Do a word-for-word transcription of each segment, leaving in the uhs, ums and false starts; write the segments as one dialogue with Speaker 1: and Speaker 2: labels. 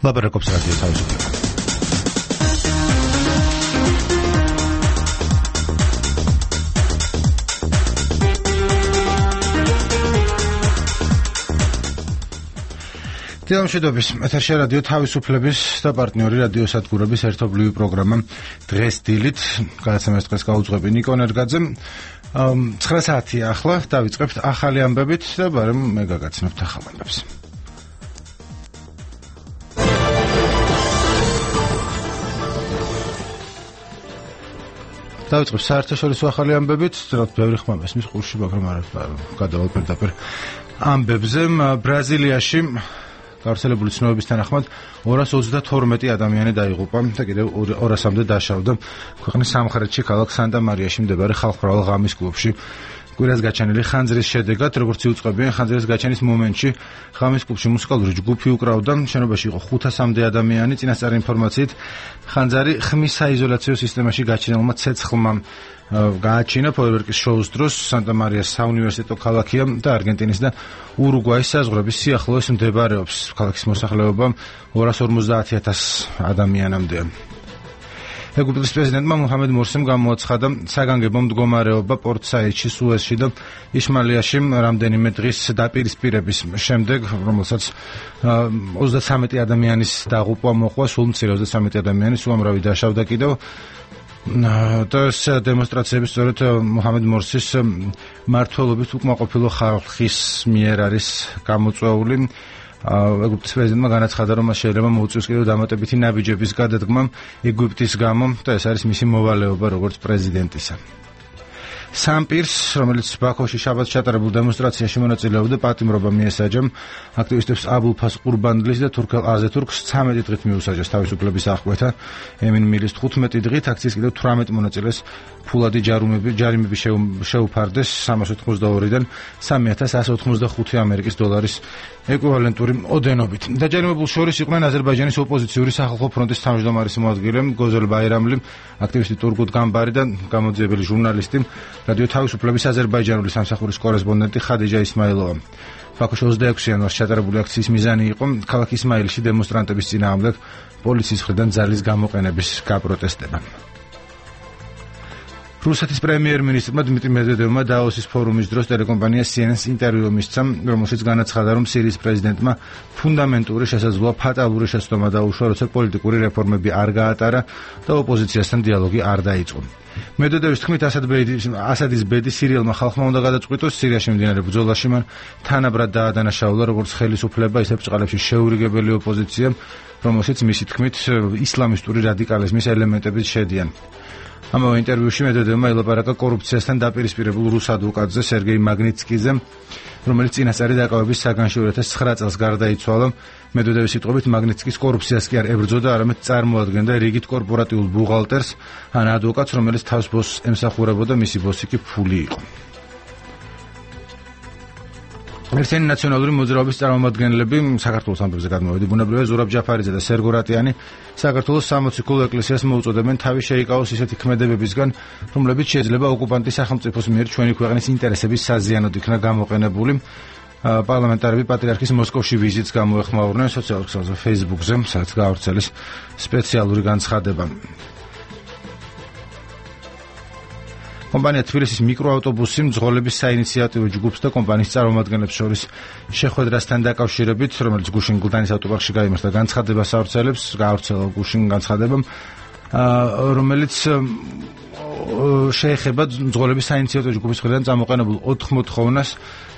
Speaker 1: ლაპარაკობს რადიო თავისუფლება. დილამშვიდობის ეთერში რადიო თავისუფლების და პარტნიორი რადიო სადგურების ერთობლივი პროგრამა დღეს დილით გადაცემას დღეს გაუძღვები ნიკო ნერგაძე. ცხრა საათია ახლა დავიწყებთ ახალი ამბებით და ბარემ მე გაგაცნობთ ახალ ამბებს. დავიწყებ საერთაშორისო ახალი ამბებით, რაც ბევრი ხმა მესმის ყურში, მაგრამ არა გადავალ პირდაპირ ამბებზე. ბრაზილიაში გავრცელებული ცნობების თანახმად ორას ოცდათორმეტი ადამიანი დაიღუპა და კიდევ ორასამდე დაშავდა ქვეყნის სამხრეთში ქალაქ სანტა-მარიაში მდებარე ხალხმრავალ ღამის კლუბში. კვირას გაჩენილი ხანძრის შედეგად, როგორც იუწყებიან, ხანძრის გაჩენის მომენტში ღამის კლუბში მუსიკალური ჯგუფი უკრავდა, შენობაში იყო ხუთასამდე ადამიანი. წინასწარი ინფორმაციით, ხანძარი ხმის საიზოლაციო სისტემაში გაჩენილმა ცეცხლმა გააჩინა ფოიერვერკის შოუს დროს. სანტა-მარიას საუნივერსიტეტო ქალაქია და არგენტინის და ურუგვაის საზღვრების სიახლოვეს მდებარეობს. ქალაქის მოსახლეობა ორას ორმოცდაათი ათასი ადამიანამდეა. ეგვიპტის პრეზიდენტმა მუჰამედ მორსიმ გამოაცხადა საგანგებო მდგომარეობა პორტ-საიდში, სუეზში და ისმაილიაში რამდენიმე დღის დაპირისპირების შემდეგ, რომელსაც ოცდათვრამეტი ადამიანის დაღუპვა მოყვა, სულ მცირე ოცდათვრამეტი ადამიანის უამრავი დაშავდა კიდევ. და ეს დემონსტრაციები სწორედ მუჰამედ მორსის მმართველობის უკმაყოფილო ხალხის მიერ არის გამოწვეული. ეგვიპტის პრეზიდენტმა განაცხადა, რომ მას შეიძლება მოუწევს კიდევ დამატებითი ნაბიჯების გადადგმა ეგვიპტის გამო და ეს არის მისი მოვალეობა როგორც პრეზიდენტისა. სამ პირს, რომელიც ბაქოში შაბათს ჩატარებულ დემონსტრაციაში მონაწილეობდა, პატიმრობა მიესაჯა. აქტივისტებს აბულფას ყურბანდლის და თურქელ აზეთურქს ცამეტი დღით მიუსაჯეს თავისუფლების აღკვეთა. ემინ მილის თხუთმეტი დღით აქციის კიდევ თვრამეტ მონაწილეს ფულადი ჯარიმები ჯარიმები შეუფარდეს სამას ოთხმოცდაორიდან სამი ათას ასი ოთხმოცდახუთი ამერიკის დოლარის ეკვივალენტური ოდენობით. დაჯარიმებულ შორის იყვნენ აზერბაიჯანის ოპოზიციური სახალხო ფრონტის თავმჯდომარის მოადგილე გოზელ ბაირამლი, აქტივისტი ტურგუტ გამბარი და გამოძიებელი ჟურნალისტი, რადიო თავისუფლების აზერბაიჯანული სამსახურის კორესპონდენტი ხადიჯა ისმაილოვა. ბაქოში ოცდაექვსი იანვარს ჩატარებული აქციის მიზანი იყო ქალაქ ისმაილში დემონსტრანტების წინააღმდეგ პოლიციის მხრიდან ძალის გამოყენების გაპროტესტება. რუსეთის პრემიერ-მინისტრმა დმიტრი მედვედევმა დაოსის ფორუმის დროს ტელეკომპანია სი ენ ენ-ს ინტერვიუ მისცა, რომელშიც განაცხადა, რომ სირიის პრეზიდენტმა ფუნდამენტური შესაძლოა ფატალური შეცდომა დაუშვა, როცა პოლიტიკური რეფორმები არ გაატარა და ოპოზიციასთან დიალოგი არ დაიწყო. მედვედევის თქმით, ასადის ბედი სირიელმა ხალხმა უნდა გადაწყვიტოს. სირიაში მიმდინარე ბრძოლაში მან თანაბრად დაადანაშაულა როგორც ხელისუფლება, ისე ბრწყალებში შეურიგებელი ოპოზიცია, რომელშიც მისი თქმით ისლამისტური რადიკალიზმის ელემენტებიც შედიან. ამავე ინტერვიუში მედვედევმა ელაპარაკა კორუფციასთან დაპირისპირებულ რუს ადვოკატზე სერგეი მაგნიცკიზე, რომელიც წინასწარი დაკავების საგანში ორ ათას ცხრა წელს გარდაიცვალა. მედვედევის სიტყვებით, მაგნიცკის კორუფციას კი არ ებრძოდა, არამედ წარმოადგენდა რიგით კორპორატიულ ბუღალტერს ან ადვოკატს, რომელიც თავს ბოსს ემსახურებოდა, მისი ბოსი კი ფული იყო. ერთიანი ნაციონალური მოძრაობის წარმომადგენლები საქართველოს ამბებზე გადმოვედი. ბუნებრივია ზურაბ ჯაფარიძე და სერგო რატიანი საქართველოს სამოციქულო ეკლესიას მოუწოდებენ თავი შეიკავოს ისეთი ქმედებებისგან, რომლებიც შეიძლება ოკუპანტის სახელმწიფოს მიერ ჩვენი ქვეყნის ინტერესების საზიანოდ იქნა გამოყენებული. პარლამენტარები პატრიარქის მოსკოვში ვიზიტს გამოეხმაურნენ სოციალურ ქსელზე Facebook-ზე, სადაც გაავრცელეს სპეციალური განცხადება. კომპანია თბილისის მიკროავტობუსი მძღოლების საინიციატივო ჯგუფს და კომპანიის წარმომადგენლებს შორის შეხვედრასთან დაკავშირებით, რომელიც გუშინ გლდანის ავტოპარკში გაიმართა, განცხადებას ავრცელებს, გაავრცელა გუშინ განცხადება, რომელიც შეეხება მძღოლების საინიციატივო ჯგუფის მხრიდან წამოყენებულ ოთხ მოთხოვნას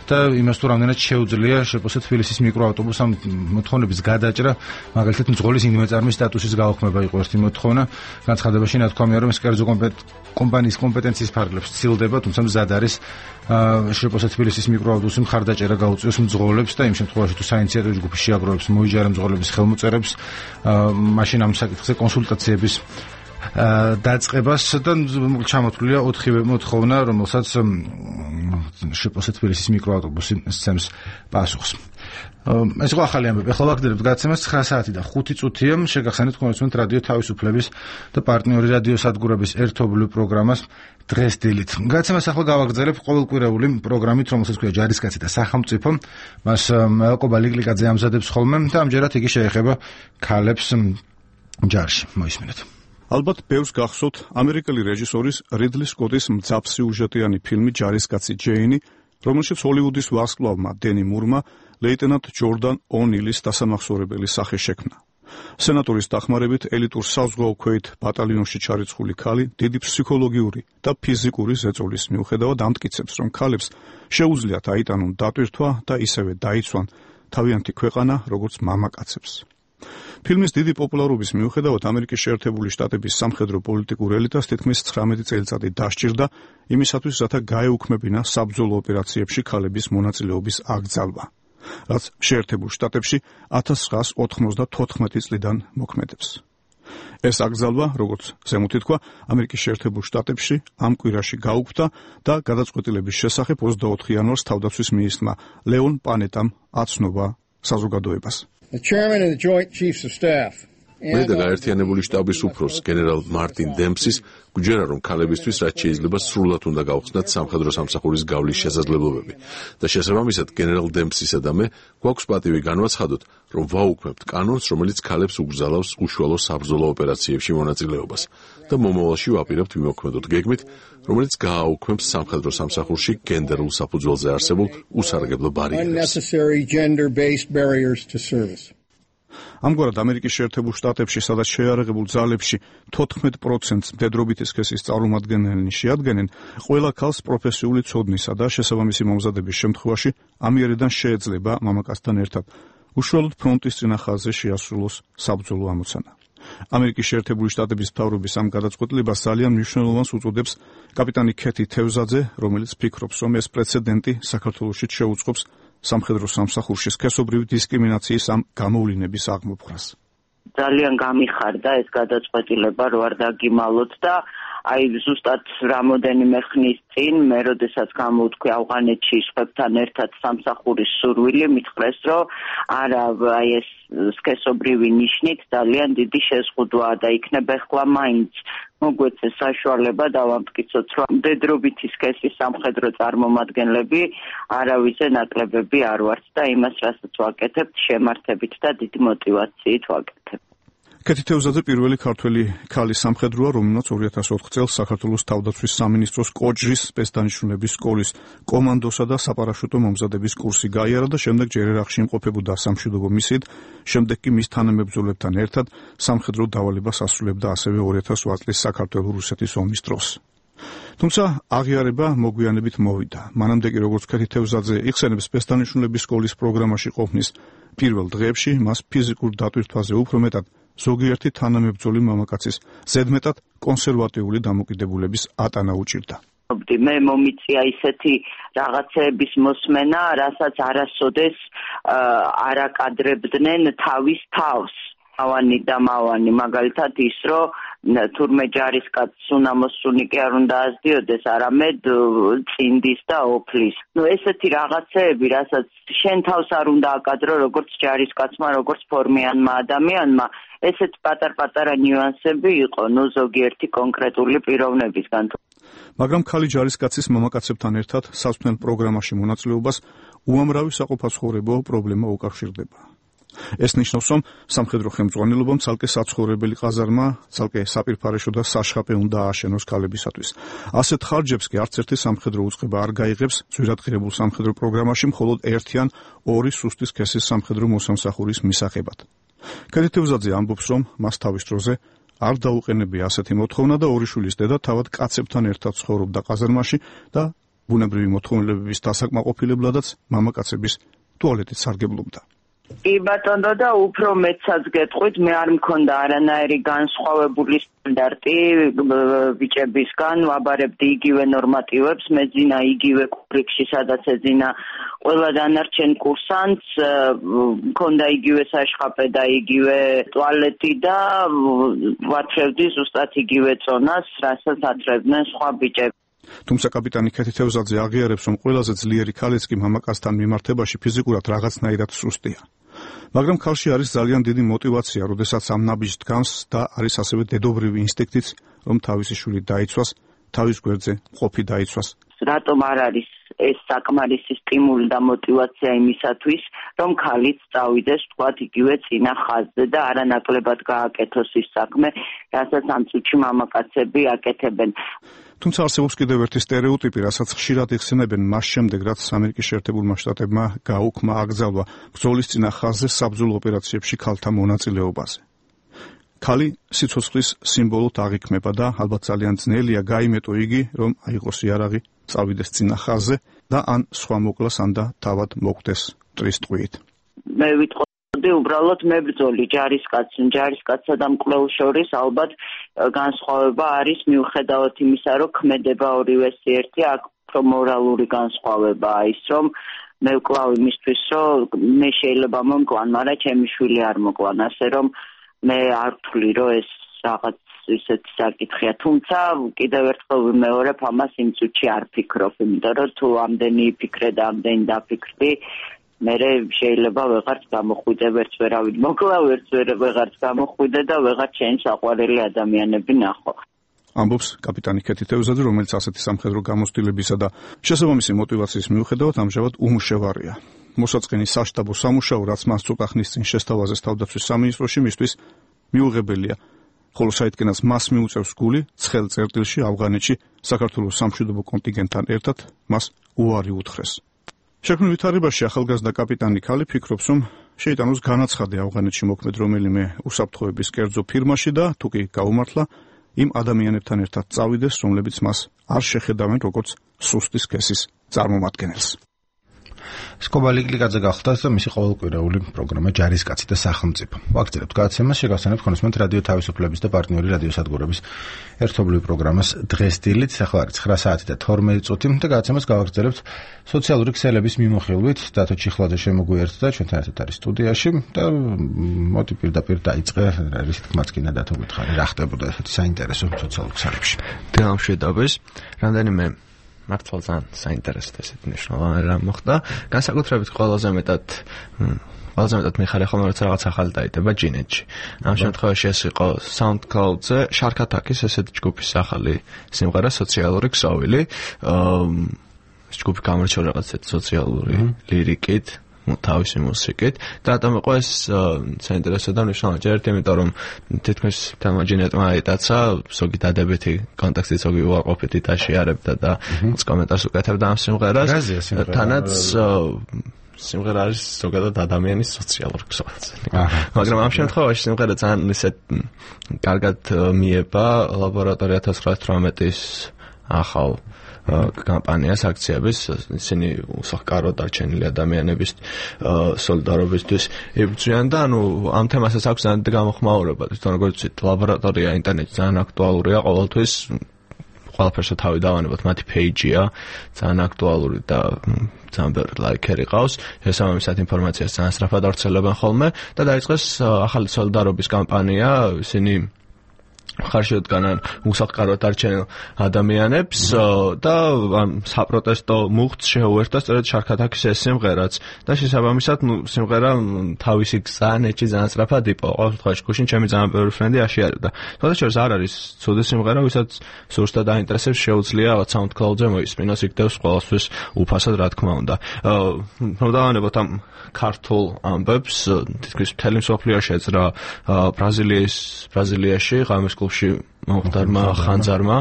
Speaker 1: და იმას თუ რამდენად შეუძლია შეპოსა თბილისის მიკროავტობუსს ამ მოთხოვნების გადაჭრა, მაგალითად მძღოლის ინდიმეწარმის სტატუსის გაუქმება იყო ერთი მოთხოვნა. განცხადებაში ნათქვამია, რომ ეს კერძო კომპანიის კომპეტენციის ფარგლებს ცილდება, თუმცა მზად არის შეპოსა თბილისის მიკროავტობუსი მხარდაჭერა გაუწიოს მძღოლებს და იმ შემთხვევაში თუ საინიციატივო ჯგუფის შეაგროვებს მოიჯარა მძღოლების ხელმოწერებს, მაშინ ამ საკითხზე კონსულტაციების დაწყებას და ჩამოთვლილია ოთხივე მოთხოვნა, რომელსაც შეპოსა თბილისის მიკროავტობუსი სცემს პასუხს. ეს იყო ახალი ამბები. ახლა ვაგრძელებთ გადაცემას ცხრა საათი და ხუთი წუთია. შეგახსენეთ თქვენს რადიო თავისუფლების და პარტნიორი რადიო სადგურების ერთობლივ პროგრამას დღეს დილით. გადაცემას ახლა გავაგრძელებ ყოველკვირეული პროგრამით, რომელსაც ქვია ჯარისკაცი და სახელმწიფო. მას აკობა ლიკლიკაძე ამზადებს ხოლმე და ამჯერად იგი შეეხება ქალებს ჯარში. მოისმინეთ.
Speaker 2: ალბათ ბევრს გახსოვთ ამერიკელი რეჟისორის რიდლი სკოტის მძაფსიუჟეტიანი ფილმი ჯარისკაცი ჯეინი, რომელშიც ჰოლივუდის ვარსკვლავმა დენი მურმა ლეიტენანტ ჯორდან ონილის დასამახსოვრებელი სახე შექმნა. სენატორის დახმარებით ელიტურ საზღვაო ქვეით ბატალიონში ჩარიცხული ქალი დიდი ფსიქოლოგიური და ფიზიკური ზეწოლის მიუხედავად ამტკიცებს, რომ ქალებს შეუძლიათ აიტანონ დატვირთვა და ისევე დაიცვან თავიანთი ქვეყანა, როგორც მამაკაცებს. ფილმის დიდი პოპულარობის მიუხედავად ამერიკის შეერთებული შტატების სამხედრო პოლიტიკურ ელიტას თითქმის ცხრამეტი წელიწადი დასჭირდა იმისათვის, რათა გაეუქმებინა საბრძოლო ოპერაციებში ქალების მონაწილეობის აკრძალვა, რაც შეერთებულ შტატებში ათას ცხრაას ოთხმოცდათოთხმეტი წლიდან მოქმედებს. ეს აკრძალვა, როგორც ზემოთ ითქვა, ამერიკის შეერთებულ შტატებში ამ კვირაში გაუქმდა და გადაწყვეტილების შესახებ ოცდაოთხ იანვარს თავდაცვის მინისტრმა ლეონ პანეტამ აცნობა საზოგადოებას.
Speaker 3: The chairman of the Joint Chiefs of Staff
Speaker 4: მე და გაერთიანებული შტაბის უფროს გენერალ მარტინ დემპსის გვჯერა, რომ ქალებისთვის რაც შეიძლება სრულად უნდა გავხსნათ სამხედრო სამსახურის გავლის შესაძლებლობები და შესაბამისად გენერალ დემპსისა და მე გვაქვს პატივი განვაცხადოთ, რომ ვაუქმებთ კანონს, რომელიც ქალებს უგზალავს უშუალო საბრძოლო ოპერაციებში მონაწილეობას და მომავალში ვაპირებთ ვიმოქმედოთ გეგმით, რომელიც გააუქმებს სამხედრო სამსახურში გენდერულ საფუძველზე არსებულ უსარგებლო ბარიერებს.
Speaker 2: ამგვარად ამერიკის შეერთებულ შტატებში, სადაც შეიარაღებულ ძალებში თოთხმეტ პროცენტს მდედრობითი სქესის წარმომადგენლნი შეადგენენ, ყველა ქალს პროფესიული ცოდნისა და შესაბამისი მომზადების შემთხვევაში ამიერიდან შეეძლება მამაკაცთან ერთად უშუალოდ ფრონტის წინა ხაზზე შეასრულოს საბრძოლო ამოცანა. ამერიკის შეერთებული შტატების მთავრობის ამ გადაწყვეტილებას ძალიან მნიშვნელოვანს უწოდებს კაპიტანი ქეთი თევზაძე, რომელიც ფიქრობს, რომ ეს პრეცედენტი საქართველოში შეუწყობს სამხედრო სამსახურში სქესობრივი დისკრიმინაციის ამ გამოვლინების აღმოფხვრას.
Speaker 5: ძალიან გამიხარდა ეს გადაწყვეტილება, რო არ დაგიმალოთ და აი ზუსტად რამოდენიმე ხნის წინ მე როდესაც გამოვთქვი ავღანეთში სხვებთან ერთად სამსახურის სურვილი, მითხრეს, რომ არა აი ეს სქესობრივი ნიშნით ძალიან დიდი შეზღუდვაა და იქნება ახლა მაინც მოგვეცეს საშუალება დავამტკიცოთ, რომ მდედრობითი სქესის სამხედრო წარმომადგენლები არავისზე ნაკლებები არ ვართ და იმას, რასაც ვაკეთებთ, შემართებით და დიდი мотивაციით ვაკეთებთ.
Speaker 2: ქეთი თევზაძე პირველი ქართველი ქალი სამხედროა, რომელმაც ორი ათას ოთხ წელს საქართველოს თავდაცვის სამინისტროს კოჯრის სპეცდანიშნულების სკოლის კომანდოსა და საპარაშუტო მომზადების კურსი გაიარა და შემდეგ ჯერ ერაყში იმყოფებოდა სამშვიდობო მისიით, შემდეგ კი მის თანამებრძოლებთან ერთად სამხედრო დავალებას ასრულებდა ასევე ორი ათას ოთხ წლის საქართველო-რუსეთის ომის დროს. თუმცა აღიარება მოგვიანებით მოვიდა. მანამდე კი როგორც ქეთი თევზაძე იხსენებს სპეცდანიშნულების სკოლის პროგრამაში ყოფნის პირველ დღეებში მას ფიზიკურ დატვირთვაზე უფრო მეტად ზოგიერთი თანამებრძოლი მამაკაცის ზედმეტად კონსერვატიული დამოკიდებულების ატანა უჭირდა.
Speaker 5: მე მომიწია ისეთი რაღაცეების მოსმენა, რასაც არასოდეს არ აკადრებდნენ თავის თავს. ავანი და მავანი, მაგალითად ის, რომ თურმე ჯარისკაცს უნამოსუნი კი არ უნდა ასდიოდეს, არამედ წინდის და ოფლის. ნუ ესეთი რაღაცეები, რასაც შენ თავს არ უნდა აკადრო, როგორც ჯარისკაცმა, როგორც ფორმიანმა ადამიანმა, ესეთ პატარ-პატარა ნიუანსები იყო, ნუ ზოგიერთი კონკრეტული პიროვნებისგან.
Speaker 2: მაგრამ ქალი ჯარისკაცის მამაკაცებთან ერთად სასწავლელ პროგრამაში მონაწილეობას უამრავი საყოფაცხოვრებო პრობლემა უკავშირდება. ეს ნიშნავს, რომ სამხედრო ხელმძღვანელობამ ცალკე საცხოვრებელი ყაზარმა, ცალკე საპირფარეშო და საშხაპე უნდა ააშენოს ქალებისათვის. ასეთ ხარჯებს კი არც ერთი სამხედრო უწყება არ გაიღებს ძვირადღირებულ სამხედრო პროგრამაში, მხოლოდ ერთი ან ორი სუსტი სქესის სამხედრო მოსამსახურის მისაღებად. ქეთი თევზაძე ამბობს, რომ მას თავის დროზე არ დაუყენებია ასეთი მოთხოვნა და ორი შვილის დედა თავად კაცებთან ერთად ცხოვრობდა ყაზარმაში და ბუნებრივი მოთხოვნილებების დასაკმაყოფილებლადაც მამაკაცების ტუალეტით სარგებლობდა.
Speaker 5: კი ბატონო და უფრო მეცაც გეტყვით, მე არ მქონდა არანაირი განსხვავებული სტანდარტი ბიჭებისგან, ვაბარებდი იგივე ნორმატივებს, მეძინა იგივე კურსში, სადაც ეძინა ყველა დანარჩენ კურსანტს, მქონდა იგივე საშხაპე და იგივე ტუალეტი და ვათრევდი ზუსტად იგივე წონას, რასაც ათრევდნენ სხვა ბიჭები.
Speaker 2: თუმცა კაპიტანი ქეთი თევზაძე აღიარებს, რომ ყველაზე ძლიერი ქალიც კი მამაკაცთან მიმართებაში ფიზიკურად რაღაცნაირად სუსტია. მაგრამ ქალში არის ძალიან დიდი мотиваცია, როდესაც ამ ნაბიჯს დგამს და არის ასევე დედობრივი ინსტინქტიც, რომ თავისი შვილი დაიცვას, თავის გვერდზე მყოფი დაიცვას.
Speaker 5: რატომ არ არის ეს საკმარისი სტიმული და мотиваცია იმისათვის, რომ ქალიც წავიდეს თქვათ იგივე წინა ხაზზე და არანაკლებად გააკეთოს ის საქმე, რასაც ამ წუთში მამაკაცები აკეთებენ.
Speaker 2: თუმცა არსებობს კიდევ ერთი სტერეოტიპი, რასაც ხშირად იხსენებენ მას შემდეგ, რაც ამერიკის შეერთებულმა შტატებმა გაუქმა აკრძალვა ბრძოლის წინა ხაზზე საბრძოლო ოპერაციებში ქალთა მონაწილეობაზე. ქალი სიცოცხლის სიმბოლოდ აღიქმება და ალბათ ძალიან ძნელია გაიმეტო იგი, რომ აიღოს იარაღი, წავიდეს წინა ხაზზე და ან სხვა მოკლას, ან და თავად მოკვდეს მტრის ტყვიით.
Speaker 5: მე ვიტყოდი უბრალოდ მებრძოლი ჯარისკაცი, ჯარისკაცსა და მკვლელს შორის ალბათ განსხვავება არის მიუხედავად იმისა, რომ ქმედება ორივეს ერთი, აქ უფრო მორალური განსხვავებაა ის, რომ მე ვკლავ იმისთვის, რომ მე შეიძლება მომკლან, მაგრამ ჩემი შვილი არ მოკლან, ასე რომ მე არ ვთვლი, რომ ეს რაღაც ისეთი საკითხია, თუმცა კიდევ ერთხელ ვიმეორებ, ამას იმ წუთში არ ფიქრობ, იმიტომ რომ თუ ამდენი იფიქრე და ამდენი დაფიქრდი, მე შეიძლება ვეღარც გამოხვიდე, ვერც ვერავინ მოკლა, ვერც ვეღარც გამოხვიდე და ვეღარ ჩემს საყვარელი ადამიანები ნახო.
Speaker 2: ამბობს კაპიტანი ქეთი თევზაძე, რომელიც ასეთი სამხედრო გამოცდილებისა და შესაბამისი мотиваციის მიუხედავად ამჟამად უმუშევარია. მოსაწყენი საშტაბო სამუშაო, რაც მას ცოტა ხნის წინ შესთავაზეს თავდაცვის სამინისტროში, მისთვის მიუღებელია, ხოლო საიდკენაც მას მიუწევს გული ცხელ წერტილში ავღანეთში საქართველოს სამშვიდობო კონტინგენტთან ერთად მას უარი უთხრეს. შექმნილ ვითარებაში ახალგაზრდა კაპიტანი ქალი ფიქრობს, რომ შეიტანოს განაცხადი ავღანეთში მოქმედ რომელიმე უსაფრთხოების კერძო ფირმაში და თუ კი გაუმართლა, იმ ადამიანებთან ერთად წავიდეს, რომლებიც მას არ შეხედავენ როგორც სუსტი სქესის წარმომადგენელს.
Speaker 1: სკობა ლიკლიკაძე გახლდათ და მისი ყოველკვირეული პროგრამა ჯარისკაცი და სახელმწიფო. ვაგრძელებთ გადაცემას, შეგახსენებთ ხონისმოთ რადიო თავისუფლების და პარტნიორი რადიოსადგურების ერთობლივი პროგრამას დღეს დილით, ახლა არის ცხრა საათი და თორმეტი წუთი და გადაცემას გავაგრძელებთ სოციალური ქსელების მიმოხილვით. დათო ჩიხლაძე შემოგვიერთდა, ჩვენთან ერთად არის სტუდიაში და მოდი პირდაპირ დაიწყე, რის თქმაც კი დათო გითხარი, რა ხდებოდა ესეთი საინტერესო სოციალურ ქსელებში.
Speaker 6: დემშვიდობის, რამდენიმე მართლა ძალიან საინტერესო ესეთი მნიშვნელოვანი რამ მოხდა. განსაკუთრებით ყველაზე მეტად ყველაზე მეტად მიხარია ხოლმე როცა რაღაც ახალი დაიდება ჯინეთში. ამ შემთხვევაში ეს იყო SoundCloud-ზე Shark Attack-ის ესეთი ჯგუფის ახალი სიმღერა სოციალური ქსოვილი. ეს ჯგუფი გამორჩეულ რაღაც სოციალური ლირიკით, თავისი მუსიკით და რატომ იყო ეს საინტერესო და მნიშვნელოვანი? ჯერთ იმიტომ რომ თითქმის თამაჯინეტმა აიტაცა, ზოგი დადებითი კონტექსტით, ზოგი უარყოფითი დაშიარებდა და კომენტარს უკეთებდა ამ სიმღერას. თანაც სიმღერა არის ზოგადად ადამიანის სოციალურ ქსოვილზე. მაგრამ ამ შემთხვევაში სიმღერა ძალიან ისე კარგად მიება ლაბორატორია ათას ცხრაასი თვრამეტის ახალ კამპანიას აქციების, ისინი უსახკარო დარჩენილი ადამიანების სოლიდარობისთვის იბრძვიან და ანუ ამ თემასაც აქვს ძალიან გამოხმაურება. თვითონ როგორც ლაბორატორია ინტერნეტში ძალიან აქტუალურია ყოველთვის, ყველაფერს თავი დავანებოთ, მათი პეიჯია ძალიან აქტუალური და ძალიან ბევრი ლაიქერი ყავს. შესაბამისად ინფორმაციას ძალიან სწრაფად ავრცელებენ ხოლმე და დაიწყეს ახალი სოლიდარობის კამპანია, ისინი ხარშევდგანან უსახკაროდ არჩენილ ადამიანებს და საპროტესტო მუხტს შეუერთდა სწორედ Shark Attack-ის ეს სიმღერაც და შესაბამისად სიმღერა თავისი გზანეთში ძალიან სწრაფად იპოვა. ყოველ შემთხვევაში გუშინ ჩემი ძალიან ბევრი ფრენდი აშიარებდა. თუმცა არ არის ცუდი სიმღერა, ვისაც სურს და დაინტერესებს, შეუძლია SoundCloud-ზე მოისმინოს, იქნებს ყველასთვის უფასად, რა თქმა უნდა. რომ დავანებოთ ამ ქართულ ამბებს, თითქმის მთელი მსოფლიოში ეძრა ბრაზილიის ბრაზილიაში ღამის კლუბში მომხდარმა ხანძარმა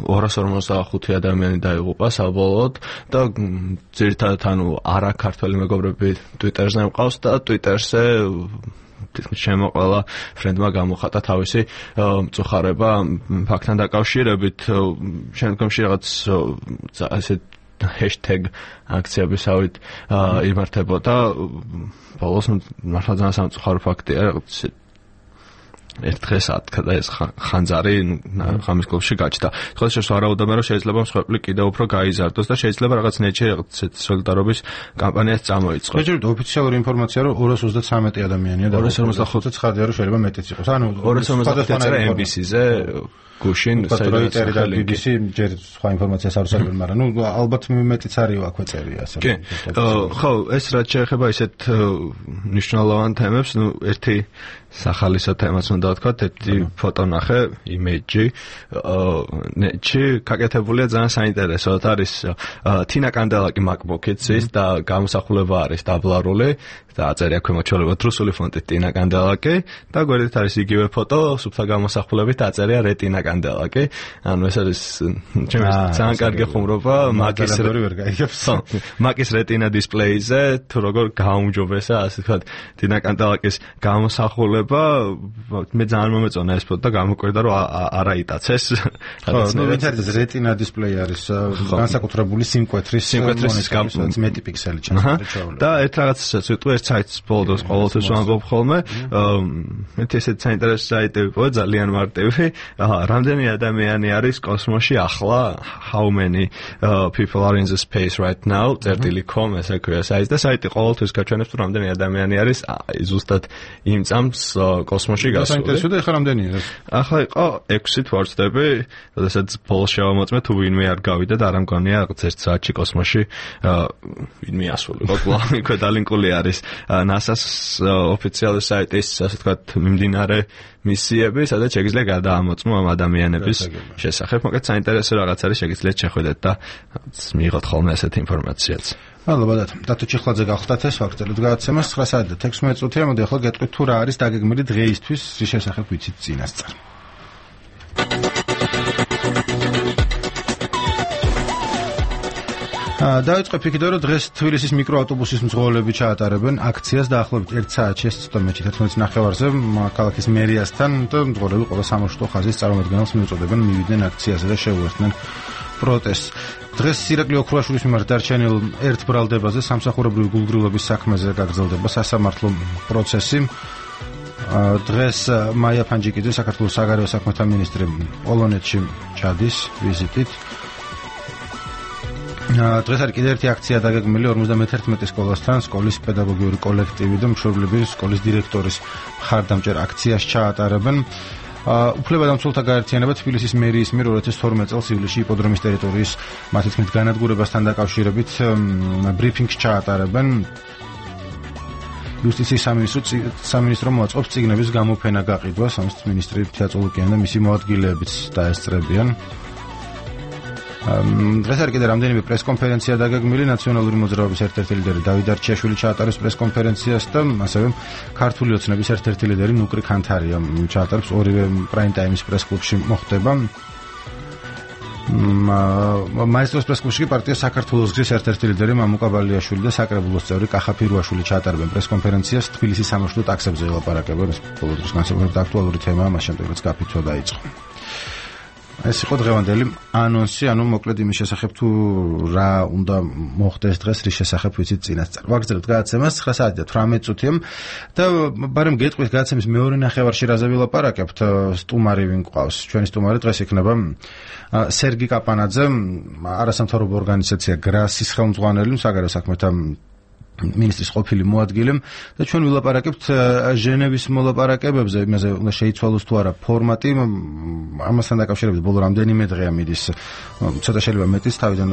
Speaker 6: ორას ორმოცდახუთი ადამიანი დაიღუპა საბოლოოდ და ძირითადად ანუ არა ქართველი მეგობრები Twitter-ზე მყავს და Twitter-ზე შემოყოლა ფრენდმა გამოხატა თავისი მწუხარება ფაქტთან დაკავშირებით. შემდგომში რაღაც ასე hashtag აქციებისავით იმართებოდა. ბოლოს მართლა ძალიან სამწუხარო ფაქტია, ერთ დღეს ათქა და ეს ხანძარი ღამის კლუბში გაჩნდა. ხოლო შეიძლება ვარაუდობენ, რომ შეიძლება მსხვერპლი კიდევ უფრო გაიზარდოს და შეიძლება რაღაც ნეჩე სოლიდარობის კამპანიას წამოიწყოს.
Speaker 1: შეიძლება ოფიციალური ინფორმაცია, რომ ორას ოცდათსამეტი ადამიანია და
Speaker 6: ორას ორმოცდახუთი
Speaker 1: ცხადია, რომ შეიძლება მეტიც იყოს. ანუ
Speaker 6: ორას ორმოცდახუთი ემ ბი სი-ზე გუშინ
Speaker 1: საერთოდ და ბი ბი სი ჯერ სხვა ინფორმაციას არ უსწრებენ, მაგრამ ნუ ალბათ მეტიც არის აქვე წერია ასე.
Speaker 6: კი. ხო, ეს რაც შეეხება ისეთ მნიშვნელოვან თემებს, ნუ ერთი სახალისო თემას უნდა ვთქვათ, ერთი ფოტო ნახე, იმეიჯი, ნეტში გაკეთებულია ძალიან საინტერესოდ, არის თინა კანდელაკი MacBook-იც და გამოსახულება არის დაბლარული და აწერია ქვემოჩვეულებად რუსული ფონტით თინა კანდელაკი და გვერდით არის იგივე ფოტო, სუფთა გამოსახულებით აწერია რეტინა კანდელაკი. ანუ ეს არის ჩემს ძალიან კარგი ხუმრობა Mac-ის
Speaker 1: ვერ გაიგებს.
Speaker 6: Mac-ის რეტინა დისპლეიზე თუ როგორ გაუმჯობესა, ასე ვთქვათ, თინა კანდელაკის გამოსახულება მე ძალიან მომეწონა ეს ფოტო და გამოკვირდა რომ არ აიტაცეს.
Speaker 1: ხო, ნუ ვინც არის რეტინა დისპლეი არის განსაკუთრებული სიმკვეთრის
Speaker 6: სიმკვეთრის
Speaker 1: მეტი პიქსელი ჩანს.
Speaker 6: და ერთ რაღაცასაც ვიტყვი, ერთ საიტს ბოლოს ყოველთვის ვამბობ ხოლმე. მე ესეც საინტერესო საიტი ვიყო, ძალიან მარტივი. რამდენი ადამიანი არის კოსმოსში ახლა? How many uh, people are in the space right now? წერტილი com ესე ქვია საიტი და საიტი ყოველთვის გაჩვენებს თუ რამდენი ადამიანი არის ზუსტად იმ წამს კოსმოსში გასული.
Speaker 1: საინტერესო და ეხლა რამდენია ეს?
Speaker 6: ახლა იყო ექვსი თვარწდები, როდესაც ბოლოს შევამოწმე თუ ვინმე არ გავიდა და არ ამგონია რაღაც ერთ საათში კოსმოსში ვინმე ასულიყო. კლავი ქვედალინკული არის NASA-ს ოფიციალური საიტის, ასე ვთქვათ, მიმდინარე მისიები, სადაც შეგიძლია გადაამოწმო ამ ადამიანების შესახებ. მოკლედ საინტერესო რაღაც არის, შეგიძლიათ შეხვიდეთ და მიიღოთ ხოლმე ასეთი ინფორმაციაც.
Speaker 1: მადლობადათ. დათო ჩიხლაძე გახლდათ ეს ვაგრძელებთ გადაცემას ცხრა საათი და თექვსმეტ წუთია. მოდი ახლა გეტყვით თუ რა არის დაგეგმილი დღეისთვის, რის შესახებ ვიცით წინასწარ. დაიწყე ფიქრია რომ დღეს თბილისის მიკროავტობუსის მძღოლები ჩაატარებენ აქციას დაახლოებით ერთ საათში ცოტამეტი თერთმეტ ნახევარზე ქალაქის მერიასთან და მძღოლები ყველა სამარშრუტო ხაზის წარმომადგენელს მიუწოდებენ მივიდნენ აქციაზე და შეუერთდნენ პროტესტს. დღეს ირაკლი ოქროაშვილის მიმართ დარჩენილ ერთ ბრალდებაზე სამსახურებრივი გულგრილობის საქმეზე გაგრძელდება სასამართლო პროცესი. დღეს მაია ფანჯიკიძე საქართველოს საგარეო საქმეთა მინისტრი პოლონეთში ჩადის ვიზიტით. დღეს არის კიდევ ერთი აქცია დაგეგმილი ორმოცდამეთერთმეტი სკოლასთან, სკოლის პედაგოგიური კოლექტივი და მშობლები სკოლის დირექტორის მხარდამჭერ აქციას ჩაატარებენ. უფლებადამცველთა გაერთიანება თბილისის მერიის მიერ ორი ათას თორმეტ წელს ივლისში იპოდრომის ტერიტორიის მათი თქმით განადგურებასთან დაკავშირებით ბრიფინგს ჩაატარებენ. იუსტიციის სამინისტრო სამინისტრო მოაწყობს წიგნების გამოფენა გაყიდვას, ამის მინისტრი თეატოლოგიან და მისი მოადგილეებიც დაესწრებიან. დღეს არის კიდე რამდენიმე პრესკონფერენცია დაგეგმილი. ნაციონალური მოძრაობის ერთ-ერთი ლიდერი დავით არჩიაშვილი ჩაატარებს პრესკონფერენციას და ასევე ქართული ოცნების ერთ-ერთი ლიდერი ნუკრი ქანთარია ჩაატარებს ორივე პრაიმ ტაიმის პრესკლუბში მოხდება. მაესტროს პრესკლუბში პარტია საქართველოს გზის ერთ-ერთი ლიდერი მამუკა ბალიაშვილი და საკრებულოს წევრი კახა ფირვაშვილი ჩაატარებენ პრესკონფერენციას. თბილისის სამარშრუტო ტაქსებზე ელაპარაკებენ. ეს ბოლო დროს განსაკუთრებით აქტუალური თემაა, მას შემდეგ რაც გაფიცვა დაიწყო. ეს იყო დღევანდელი ანონსი, ანუ მოკლედ იმის შესახებ თუ რა უნდა მოხდეს დღეს, რის შესახებ ვიცით წინასწარ. ვაგრძელებთ გადაცემას ცხრა საათი და თვრამეტ წუთია და ბარემ გეტყვით გადაცემის მეორე ნახევარში რაზე ვილაპარაკებთ. სტუმარი ვინ გვყავს? ჩვენი სტუმარი დღეს იქნება სერგი კაპანაძე, არასამთავრობო ორგანიზაცია გრასის ხელმძღვანელი, საგარეო საქმეთა მინისტრის ყოფილი მოადგილე და ჩვენ ვილაპარაკებთ ჟენევის მოლაპარაკებებზე, იმაზე უნდა შეიცვალოს თუ არა ფორმატი. ამასთან დაკავშირებით ბოლო რამდენიმე დღეა მიდის ცოტა შეიძლება მეტის თავიდან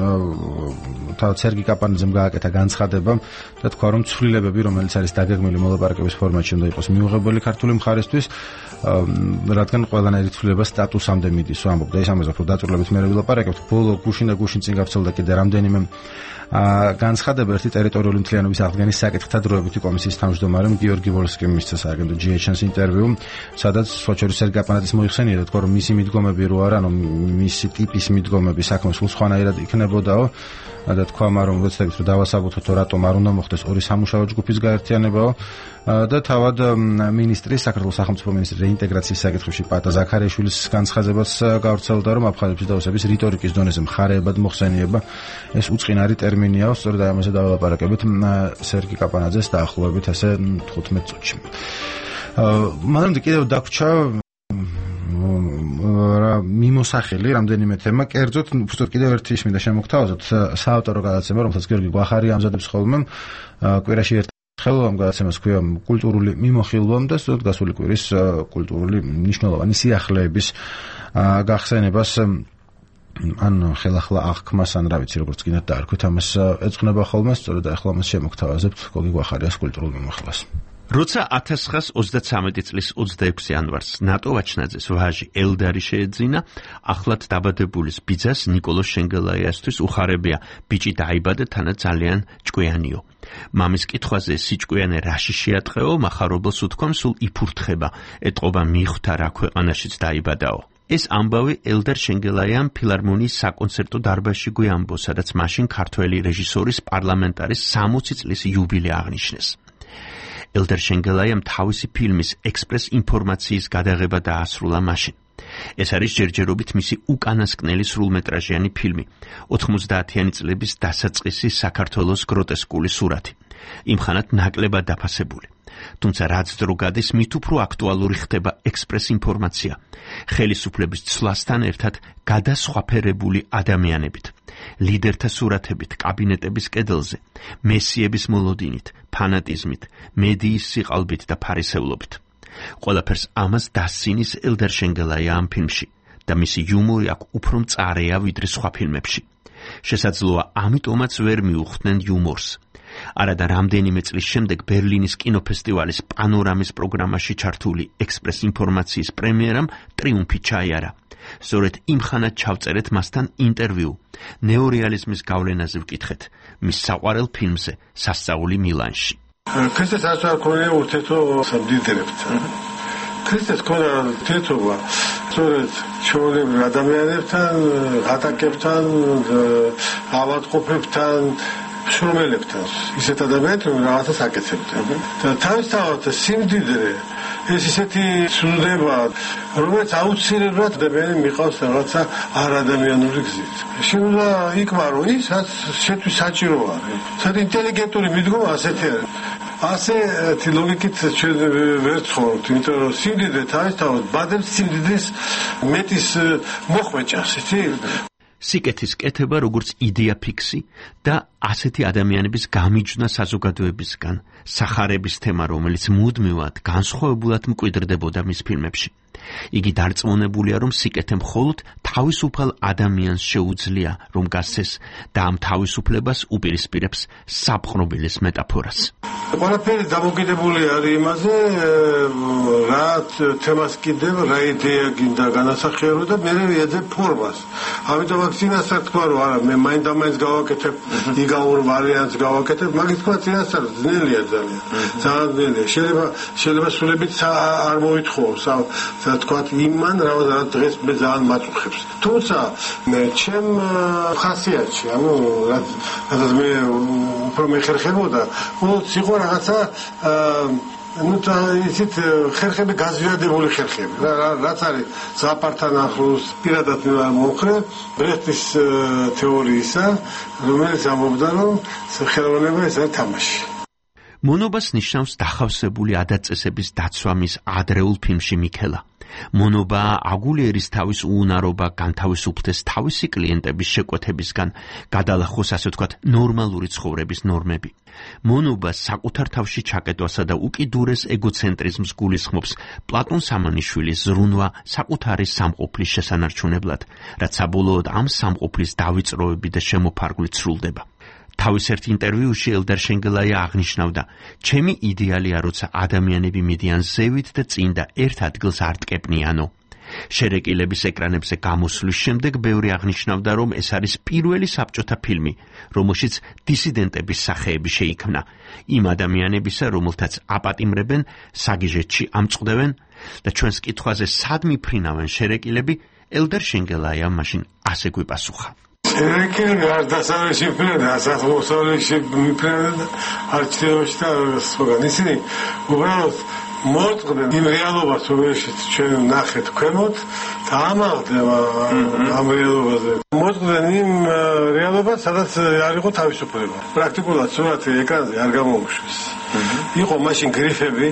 Speaker 1: თავად სერგი კაპანაძემ გააკეთა განცხადება და თქვა რომ ცვლილებები რომელიც არის დაგეგმილი მოლაპარაკების ფორმატში უნდა იყოს მიუღებელი ქართული მხარისთვის, რადგან ყველანაირი ცვლილება სტატუსამდე მიდის. ვამბობ და ეს ამაზე უფრო დაწვრილებით მე ვილაპარაკებთ. ბოლო გუშინ და გუშინ წინ გავრცელდა კიდე რამდენიმე განცხადება. ერთი ტერიტორიული მთლიანობის აღდგენის საკითხთა დროებითი კომისიის თავმჯდომარემ გიორგი ვოლსკიმ მისცა სააგენტო ჯი ეიჩ ენ-ს ინტერვიუ, სადაც სოჩორის სერგი კაპანაძის მოიხსენია და თქვა რომ მისი მიდგომები რო არა, ანუ მისი ტიპის მიდგომები საქმე სულ სხვანაირად იქნებოდაო და თქვა რომ ვეცდებით რომ დავასაბუთოთ რატომ არ უნდა მოხდეს ორი სამუშაო ჯგუფის გაერთიანებაო და თავად მინისტრის საქართველოს სახელმწიფო მინისტრის რეინტეგრაციის საკითხებში პატა ზაქარიაშვილის განცხადებაც გავრცელდა რომ აფხაზების და ოსების რიტორიკის დონეზე მხარეებად მოხსენიება ეს უწყინარი ტერმინიაო. სწორედ ამაზე დავალაპარაკებით სერგი კაპანაძეს დაახლოებით ასე თხუთმეტ წუთში. მაგრამ კიდევ დაგვრჩა მიმოსახელი რამდენიმე თემა. კერძოდ უბრალოდ კიდევ ერთი მინდა შემოგთავაზოთ საავტორო გადაცემა, რომელსაც გიორგი გვახარი ამზადებს ხოლმე კვირაში ერთ ხელ ამ გადაცემას ქვია კულტურული მიმოხილვა და სწორედ გასული კვირის კულტურული მნიშვნელოვანი სიახლეების გახსენებას ან ხელახლა აღქმას ან რა ვიცი როგორც კიდე დაარქვით ამას ეძღვნება ხოლმე სწორედ ახლა მას შემოგთავაზებთ გოგი გვახარიას კულტურულ მიმოხილვას.
Speaker 7: როცა ათას ცხრაას ოცდაცამეტი წლის ოცდაექვსი იანვარს ნატო ვაჩნაძეს ვაჟი ელდარი შეეძინა, ახლად დაბადებულის ბიძას ნიკოლოზ შენგელაიასთვის უხარებია ბიჭი დაიბადა თანა ძალიან ჭკვიანიო. მამის კითხვაზე სიჭკვიანე რაში შეატყეო, მახარობელს უთქვამ სულ იფურთხება, ეტყობა მიხვდა რა ქვეყანაშიც დაიბადაო. ეს ამბავი ელდარ შენგელაიამ ფილარმონიის საკონცერტო დარბაზში გვიამბო, სადაც მაშინ ქართველი რეჟისორის პარლამენტარის სამოცი წლის იუბილე აღნიშნეს. ელდარ შენგელაიამ თავისი ფილმის ექსპრეს ინფორმაციის გადაღება დაასრულა მაშინ. ეს არის ჯერჯერობით მისი უკანასკნელი სრულმეტრაჟიანი ფილმი, ოთხმოცდაათიანი წლების დასაწყისი საქართველოს გროტესკული სურათი, იმხანად ნაკლებად დაფასებული. თუმცა რაც დრო გადის, მით უფრო აქტუალური ხდება ექსპრეს ინფორმაცია, ხელისუფლების ცვლასთან ერთად გადასხვაფერებული ადამიანებით, ლიდერთა სურათებით კაბინეტების კედელზე, მესიების მოლოდინით, ფანატიზმით, მედიის სიყალბით და ფარისევლობით. ყველაფერს ამას დასცინის ელდარ შენგელაია ამ ფილმში და მისი იუმორი აქ უფრო მწარეა ვიდრე სხვა ფილმებში. შესაძლოა ამიტომაც ვერ მიუხვდნენ იუმორს. არადა რამდენიმე წლის შემდეგ ბერლინის კინოფესტივალის პანორამის პროგრამაში ჩართული ექსპრეს ინფორმაციის პრემიერამ ტრიუმფი ჩაიარა. სწორედ იმხანად ჩავწერეთ მასთან ინტერვიუ. ნეორეალიზმის გავლენაზე ვკითხეთ მის საყვარელ ფილმზე სასწაული მილანში.
Speaker 8: ქრისტეს არც არ ქონია ურთიერთო სამდიდრებთან. ქრისტეს ქონდა ურთიერთობა სწორედ ჩვეულებრივ ადამიანებთან, ატაკებთან, ავადმყოფებთან, შრომელებთან. ისეთ ადამიანებთან რაღაცას აკეთებდნენ. და თავისთავად სიმდიდრე ეს ისეთი ცნდება, რომელიც აუცილებლად ადამიანი მიყავს რაღაცა არადამიანური გზით. შეიძლება იკმარო ის, რაც შეთვის საჭირო არის. საერთოდ ინტელიგენტური მიდგომა ასეთი არის. ასეთი ლოგიკით ჩვენ ვერ ცხოვრობთ, იმიტომ რომ სიმდიდრე თავისთავად ბადებს სიმდიდრის მეტის მოხვეჭას, იცი?
Speaker 7: სიკეთის კეთება როგორც იდეა ფიქსი და ასეთი ადამიანების გამიჯვნა საზოგადოებისგან, სახარების თემა, რომელიც მუდმივად განსხვავებულად მკვიდრდებოდა მის ფილმებში. იგი დარწმუნებულია, რომ სიკეთე მხოლოდ თავისუფალ ადამიანს შეუძლია, რომ გასცეს და ამ თავისუფლებას უპირისპირებს საპყრობილის მეტაფორას.
Speaker 8: ყველაფერი დამოკიდებული არის იმაზე, რა თემას კიდევ, რა იდეა გინდა განასახიერო და მე ეძებ ფორმას. ამიტომ აქ წინასწარ თქვა, რომ არა, მე მაინდა-მაინც გავაკეთებ იგავურ ვარიანტს გავაკეთებ, მაგის თქვა წინასწარ ძნელია ძალიან. ძალიან ძნელია. შეიძლება შეიძლება სულებით არ მოითხოვს, თქვა იმან რა დღეს მე ძალიან მაწუხებს. თუმცა ჩემ ხასიათში, ანუ რაც მე უფრო მეხერხებოდა, უბრალოდ იყო რაღაცა ну та ისეთ ხერხები გაზვიადებული ხერხები. რაც არის ზაპართან ახლოს პირადად მომხრე ბრეხტის თეორიისა, რომელიც ამბობდა, რომ ხელოვნება ეს არის თამაში.
Speaker 7: მონობას ნიშნავს დახავსებული ადაწესების დაცვა მის ადრეულ ფილმში მიქელა. მონობა აგულიერის თავის უუნარობა განთავისუფლდეს თავისი კლიენტების შეკვეთებისგან, გადალახოს ასე ვთქვათ ნორმალური ცხოვრების ნორმები. მონობა საკუთარ თავში ჩაკეტვასა და უკიდურეს ეგოცენტრიზმს გულისხმობს პლატონ სამანიშვილის ზრუნვა საკუთარი სამყოფლის შესანარჩუნებლად, რაც საბოლოოდ ამ სამყოფლის დავიწყროები და შემოფარგვლით სრულდება. თავის ერთ ინტერვიუში ელდარ შენგელაია აღნიშნავდა, ჩემი იდეალია, როცა ადამიანები მიდიან ზევით და წინ და ერთ ადგილს არ ტკეპნიანო. შერეკილების ეკრანებზე გამოსვლის შემდეგ ბევრი აღნიშნავდა, რომ ეს არის პირველი საბჭოთა ფილმი, რომელშიც დისიდენტების სახეები შეიქმნა, იმ ადამიანებისა, რომელთაც აპატიმრებენ, საგიჟეთში ამწყდევენ და ჩვენს კითხვაზე სად მიფრინავენ შერეკილები, ელდარ შენგელაია მაშინ ასე გვიპასუხა.
Speaker 8: შერეკილები არ დასავლეთში მიფრინავენ, დასავლეთში მიფრინავენ არჩევნებში და სხვაგან. ისინი უბრალოდ მოწყდნენ იმ რეალობას, რომელშიც ჩვენ ნახეთ ქვემოთ და ამაღლდება ამ რეალობაზე. მოწყდნენ იმ რეალობას, სადაც არ იყო თავისუფლება. პრაქტიკულად სურათი ეკრანზე არ გამოუშვეს. იყო მაშინ გრიფები,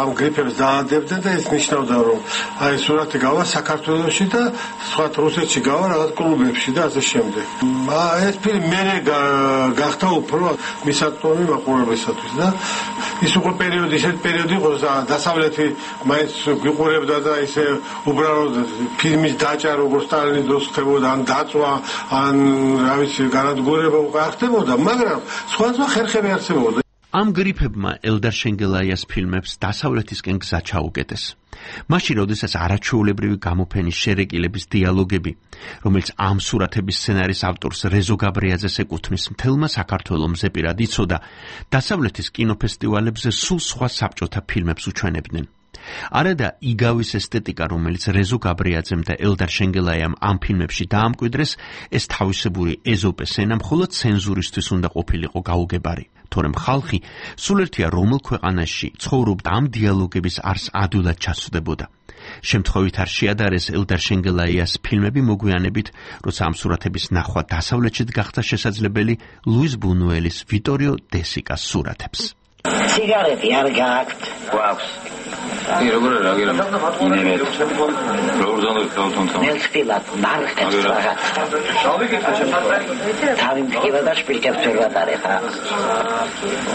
Speaker 8: ამ გრიფებს დაადებდნენ და ეს ნიშნავდა, რომ აი სურათი გავა საქართველოში და სხვა რუსეთში გავა რაღაც კლუბებში და ასე შემდეგ. ეს ფილმი მე გახდა უფრო მისაწვდომი მაყურებლისათვის და ის უკვე პერიოდი ისეთ პერიოდი იყო დასავლეთი მაინც გვიყურებდა და ისე უბრალოდ ფილმის დაჭა როგორც სტალინის ხდებოდა ან დაწვა ან რა ვიცი განადგურება უკვე ახდებოდა მაგრამ სხვადასხვა ხერხები არსებობდა
Speaker 7: ამ გრიფებმა ელდარ შენგელაიას ფილმებს დასავლეთისკენ გზა ჩაუკეტეს. მაშინ, როდესაც არაჩვეულებრივი გამოფენის შერეკილების დიალოგები, რომელიც ამ სურათების სცენარის ავტორს რეზო გაბრიაძეს ეკუთვნის, მთელმა საქართველოს ზეპირად იცოდა, დასავლეთის კინოფესტივალებზე სულ სხვა საბჭოთა ფილმებს უჩვენებდნენ. არადა იგავის ესთეტიკა, რომელიც რეზო გაბრიაძემ და ელდარ შენგელაიამ ამ ფილმებში დაამკვიდრეს, ეს თავისებური ეზოპეს ენა მხოლოდ ცენზურისთვის უნდა ყოფილიყო გაუგებარი. თორემ ხალხი სულ ერთია რომელ ქვეყანაში ცხოვრობდა ამ დიალოგების არს ადვილად ჩასვდებოდა. შემთხვევით არ შეადარეს ელდარ შენგელაიას ფილმები მოგვიანებით, როცა ამ სურათების ნახვა დასავლეთშიც გახდა შესაძლებელი ლუის ბუნუელის ვიტორიო დესიკას სურათებს.
Speaker 9: სიგარეტი არ გააქვთ? გვაქვს. კი, როგორ არა, გერა. ინერეთ. როგორ ზონდეთ თვითონ. ნელსპილად, მარხებს რაღაც. თავი მიგება და შპილკებს ვერ ვატარე ხა.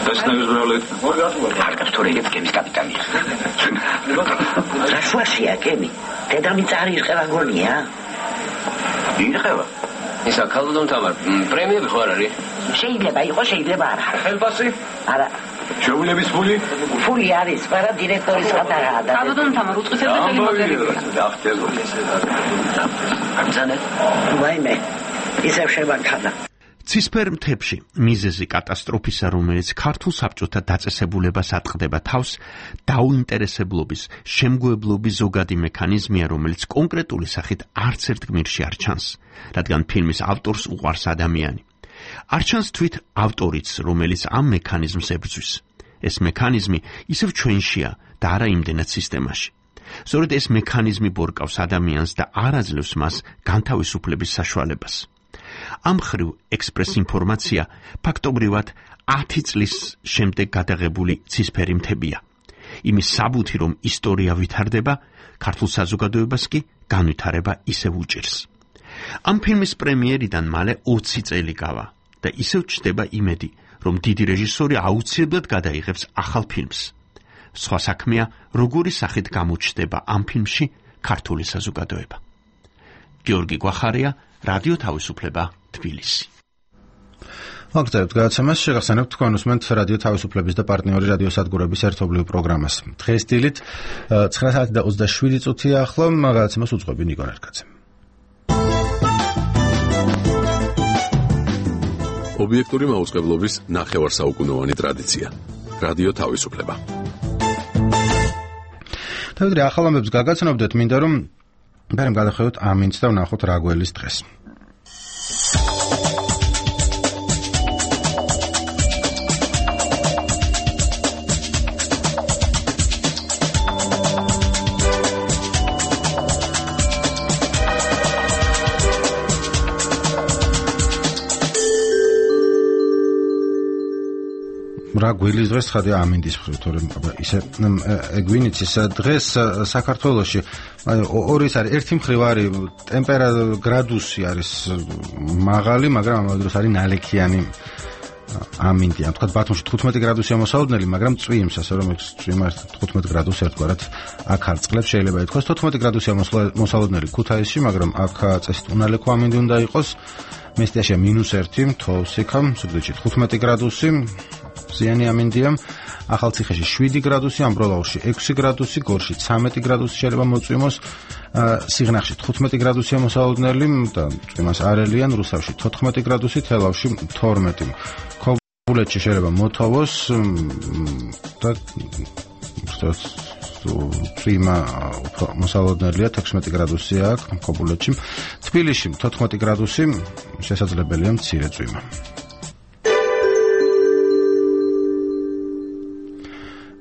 Speaker 9: ეს ნეგზბრალეთ. მარკებს თორეგებს კემის კაპიტანია. რა შუაშია კემი? დედამიწა არ ირყევა გონია? ირყევა. ისა ქალოდონ თამარ, პრემიები ხო არ არის? შეიძლება იყოს, შეიძლება არა. ხელფასი? არა. შეულების ფული? ფული არის, მაგრამ დირექტორის გადაღაა. ქალოდონ თამარ უწყისებს ხელი მოდელები. ამზანე? ვაიმე. ისევ შემაქანა.
Speaker 7: ცისფერ მთებში მიზეზი კატასტროფისა, რომელიც ქართულ საბჭოთა დაწესებულებას ატყდება თავს, დაუინტერესებლობის, შემგოებლობის ზოგადი მექანიზმია, რომელიც კონკრეტული სახით არც ერთ გმირში არ ჩანს, რადგან ფილმის ავტორს უყვარს ადამიანი. არ ჩანს თვით ავტორიც, რომელიც ამ მექანიზმს ებრძვის. ეს მექანიზმი ისევ ჩვენშია და არა იმდენად სისტემაში. სწორედ ეს მექანიზმი ბორკავს ადამიანს და არ აძლევს მას განთავისუფლების საშუალებას. ამ ხრივ ექსპრეს ინფორმაცია ფაქტობრივად ათი წლის შემდეგ გადაღებული ცისფერი მთებია. იმის საბუთი, რომ ისტორია ვითარდება, ქართულ საზოგადოებას კი განვითარება ისევ უჭირს. ამ ფილმის პრემიერიდან მალე ოცი წელი გავა და ისევ ჩნდება იმედი, რომ დიდი რეჟისორი აუცილებლად გადაიღებს ახალ ფილმს. სხვა საქმეა, როგორი სახით გამოჩნდება ამ ფილმში ქართული საზოგადოება. გიორგი გვახარია, რადიო თავისუფლება, თბილისი.
Speaker 1: მოგწევთ გადაცემას, შეგახსენებთ თქვენ უსმენთ რადიო თავისუფლების და პარტნიორი რადიო სადგურების ერთობლივ პროგრამას. დღეს დილით ცხრა საათი და ოცდაშვიდი წუთია ახლა გადაცემას უძღვები ნიკო ნერგაძე.
Speaker 4: ობიექტური მაუწყებლობის ნახევარსაუკუნოვანი ტრადიცია. რადიო თავისუფლება.
Speaker 1: თავიდრე ახალ ამბებს გაგაცნობდეთ, მინდა რომ ბერემ გადახედოთ ამინც და ვნახოთ რა გველის დღეს. რა გველის დღეს ხადი ამინდის მხრივ, თორემ ისე ეგვინიც ის დღეს საქართველოში ორი არის, ერთი მხრივ არის ტემპერატურა გრადუსი არის მაღალი, მაგრამ ამავე დროს არის ნალექიანი ამინდია. თქვა ბათუმში თხუთმეტი გრადუსია მოსალოდნელი, მაგრამ წვიმს, ასე რომ წვიმა თხუთმეტი გრადუსი ერთგვარად აქ არწყლებს, შეიძლება ითქვას თოთხმეტი გრადუსია მოსალოდნელი ქუთაისში, მაგრამ აქ წესით უნალექო ამინდი უნდა იყოს. მესტიაში მინუს ერთი, თოვსიქა, სუგდიდში თხუთმეტი გრადუსი. ზიანი ამინდია, ახალციხეში შვიდი გრადუსი, ამბროლაურში ექვსი გრადუსი, გორში ცამეტი გრადუსი შეიძლება მოწვიმოს, სიღნაღში თხუთმეტი გრადუსია მოსალოდნელი და წვიმას არ ელიან, რუსავში თოთხმეტი გრადუსი, თელავში თორმეტი. ქობულეთში შეიძლება მოთოვოს და წვიმა მოსალოდნელია, თექვსმეტი გრადუსია აქ ქობულეთში. თბილისში თოთხმეტი გრადუსი, შესაძლებელია მცირე წვიმა.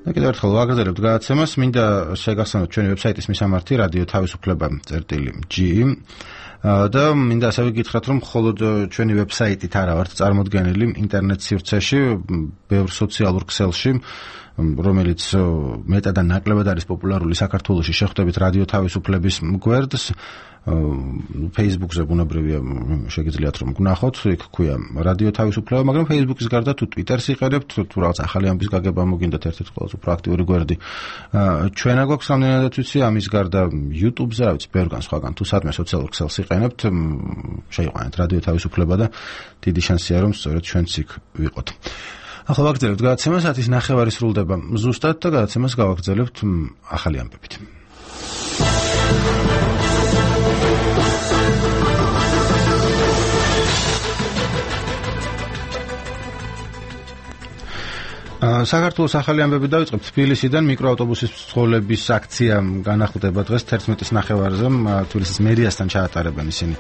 Speaker 1: და კიდევ ერთხელ ვაგრძელებთ გადაცემას, მინდა შეგახსენოთ ჩვენი ვებსაიტის მისამართი რადიო თავისუფლება წერტილი ჯი და მინდა ასევე გითხრათ, რომ მხოლოდ ჩვენი ვებსაიტით არა ვართ წარმოდგენილი ინტერნეტ სივრცეში, ბევრ სოციალურ ქსელში რომელიც მეტად და ნაკლებად არის პოპულარული საქართველოში, შეხვდებით რადიო თავისუფლების გვერდს, Facebook-ზე ბუნებრივია შეგიძლიათ რომ გნახოთ, იქ ქვია რადიო თავისუფლება, მაგრამ Facebook-ის გარდა თუ Twitter-ს იყენებთ, თუ რაღაც ახალი ამბის გაგება მოგინდათ ერთ-ერთი ყველაზე უფრო აქტიური გვერდი. ჩვენა გვაქვს რამდენადაც ვიცი, ამის გარდა YouTube-ზე, რა ვიცი, ბევრგან სხვაგან თუ სადმე სოციალურ ქსელს იყენებთ, შეიყვანეთ რადიო თავისუფლება და დიდი შანსია რომ სწორედ ჩვენც იქ ვიყოთ. ახლა ვაგრძელებთ გადაცემას, ათის ნახევარი სრულდება ზუსტად და გადაცემას გავაგრძელებთ ახალი ამბებით. საქართველოს ახალი ამბები დავიწყებთ. თბილისიდან მიკროავტობუსის მძღოლების აქცია განახლდება დღეს თერთმეტის ნახევარზე. თბილისის მერიასთან ჩაატარებენ ისინი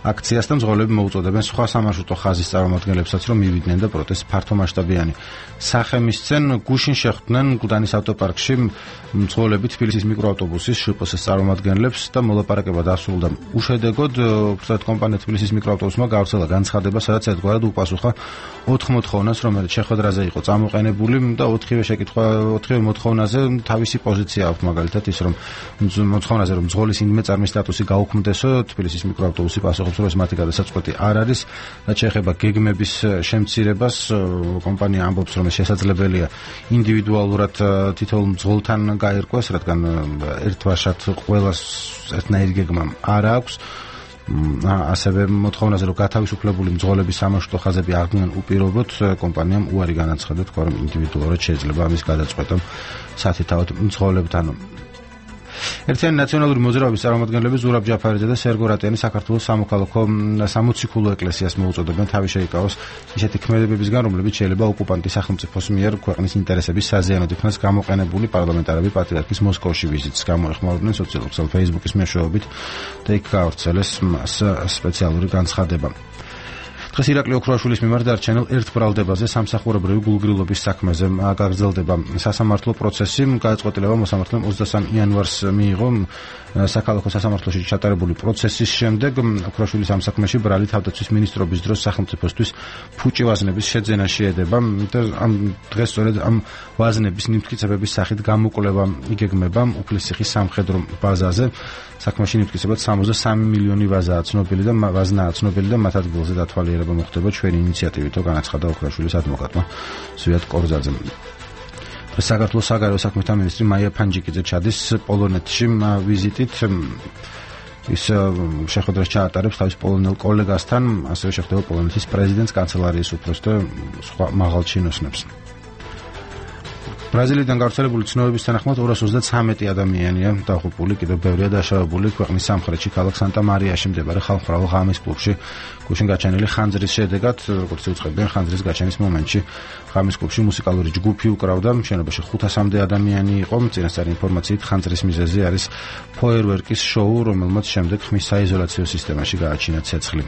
Speaker 1: აქციას და მძღოლები მოუწოდებენ სხვა სამარშრუტო ხაზის წარმომადგენლებსაც, რომ მივიდნენ და პროტესტი ფართომასშტაბიანი სახე მისცენ. გუშინ შეხვდნენ გუდანის ავტოპარკში მძღოლები თბილისის მიკროავტობუსის შპს-ის წარმომადგენლებს და მოლაპარაკება დასრულდა უშედეგოდ. უბრალოდ კომპანია თბილისის მიკროავტობუსმა გავრცელა განცხადება, სადაც ერთგვარად უპასუხა ოთხ მოთხოვნას, რომელიც შეხვედრაზე იყო წამოყენებული და ოთხივე შეკითხვა, ოთხივე მოთხოვნაზე თავისი პოზიცია აქვს, მაგალითად ის რომ მოთხოვნაზე რომ მძღოლის ინდმე წარმის სტატუსი გაუქმდესო, თბილისის მიკროავტობუსი პასუხობს, რომ ეს მათი გადასაწყვეტი არ არის, რაც შეეხება გეგმების შემცირებას, კომპანია ამბობს, რომ ეს შესაძლებელია ინდივიდუალურად თითოეულ მძღოლთან გაერკვეს, რადგან ერთვაშად ყველას ერთნაირი გეგმა არ აქვს. ასევე მოთხოვნაზე რომ გათავისუფლებული მძღოლების სამარშრუტო ხაზები აღდგნენ უპირობოდ, კომპანიამ უარი განაცხადა, თქვა რომ ინდივიდუალურად შეიძლება ამის გადაწყვეტა სათითაოდ მძღოლებთან. ერთიანი ნაციონალური მოძრაობის წარმომადგენლები ზურაბ ჯაფარიძე და სერგო რატიანი საქართველოს სამოქალაქო სამოციქულო ეკლესიას მოუწოდებენ თავი შეიკავოს ისეთი ქმედებებისგან, რომლებიც შეიძლება ოკუპანტის სახელმწიფოს მიერ ქვეყნის ინტერესების საზიანოდ იქნას გამოყენებული. პარლამენტარები პატრიარქის მოსკოვში ვიზიტს გამოეხმაურებდნენ სოციალურ ქსელ Facebook-ის მეშვეობით და იქ გავრცელეს სპეციალური განცხადება. დღეს ირაკლი ოქროაშვილის მიმართ დარჩენილ ერთ ბრალდებაზე სამსახურებრივი გულგრილობის საქმეზე გაგრძელდება სასამართლო პროცესი. გადაწყვეტილება მოსამართლემ ოცდასამი იანვარს მიიღო. საქალაქო სასამართლოში ჩატარებული პროცესის შემდეგ ოქროაშვილის ამ საქმეში ბრალი თავდაცვის მინისტრობის დროს სახელმწიფოსთვის ფუჭი ვაზნების შეძენა შეედება და ამ დღეს სწორედ ამ ვაზნების მიმტკიცებების სახით გამოკვლევა იგეგმება უფლისციხის სამხედრო ბაზაზე. საქმეში მიმტკიცებად სამოცდასამი მილიონი ვაზაა ცნობილი და ვაზნაა ცნობილი და მათ ადგილზე დათვალიერება მოხდება ჩვენი ინიციატივით, განაცხადა ოქროაშვილის ადვოკატმა ზვიად კორზაძე. საქართველოს საგარეო საქმეთა მინისტრი მაია ფანჯიკიძე ჩადის პოლონეთში ვიზიტით. ის შეხვედრას ჩაატარებს თავის პოლონელ კოლეგასთან, ასევე შეხვდება პოლონეთის პრეზიდენტს, კანცელარიის უფროსს და სხვა მაღალ ჩინოსნებს. ბრაზილიიდან გავრცელებული ცნობების თანახმად ორას ოცდათვრამეტი ადამიანია დაღუპული, კიდევ ბევრია დაშავებული ქვეყნის სამხრეთში, ქალაქ სანტა-მარიაში მდებარე ხალხმრავალ ღამის კლუბში. გუშინ გაჩენილი ხანძრის შედეგად, როგორც უწყებდნენ ხანძრის გაჩენის მომენტში, ღამის კლუბში მუსიკალური ჯგუფი უკრავდა, შენობაში ხუთასამდე ადამიანი იყო. წინასწარი ინფორმაციით ხანძრის მიზეზი არის ფოიერვერკის შოუ, რომელმაც შემდეგ ხმის საიზოლაციო სისტემაში გააჩინა ცეცხლი.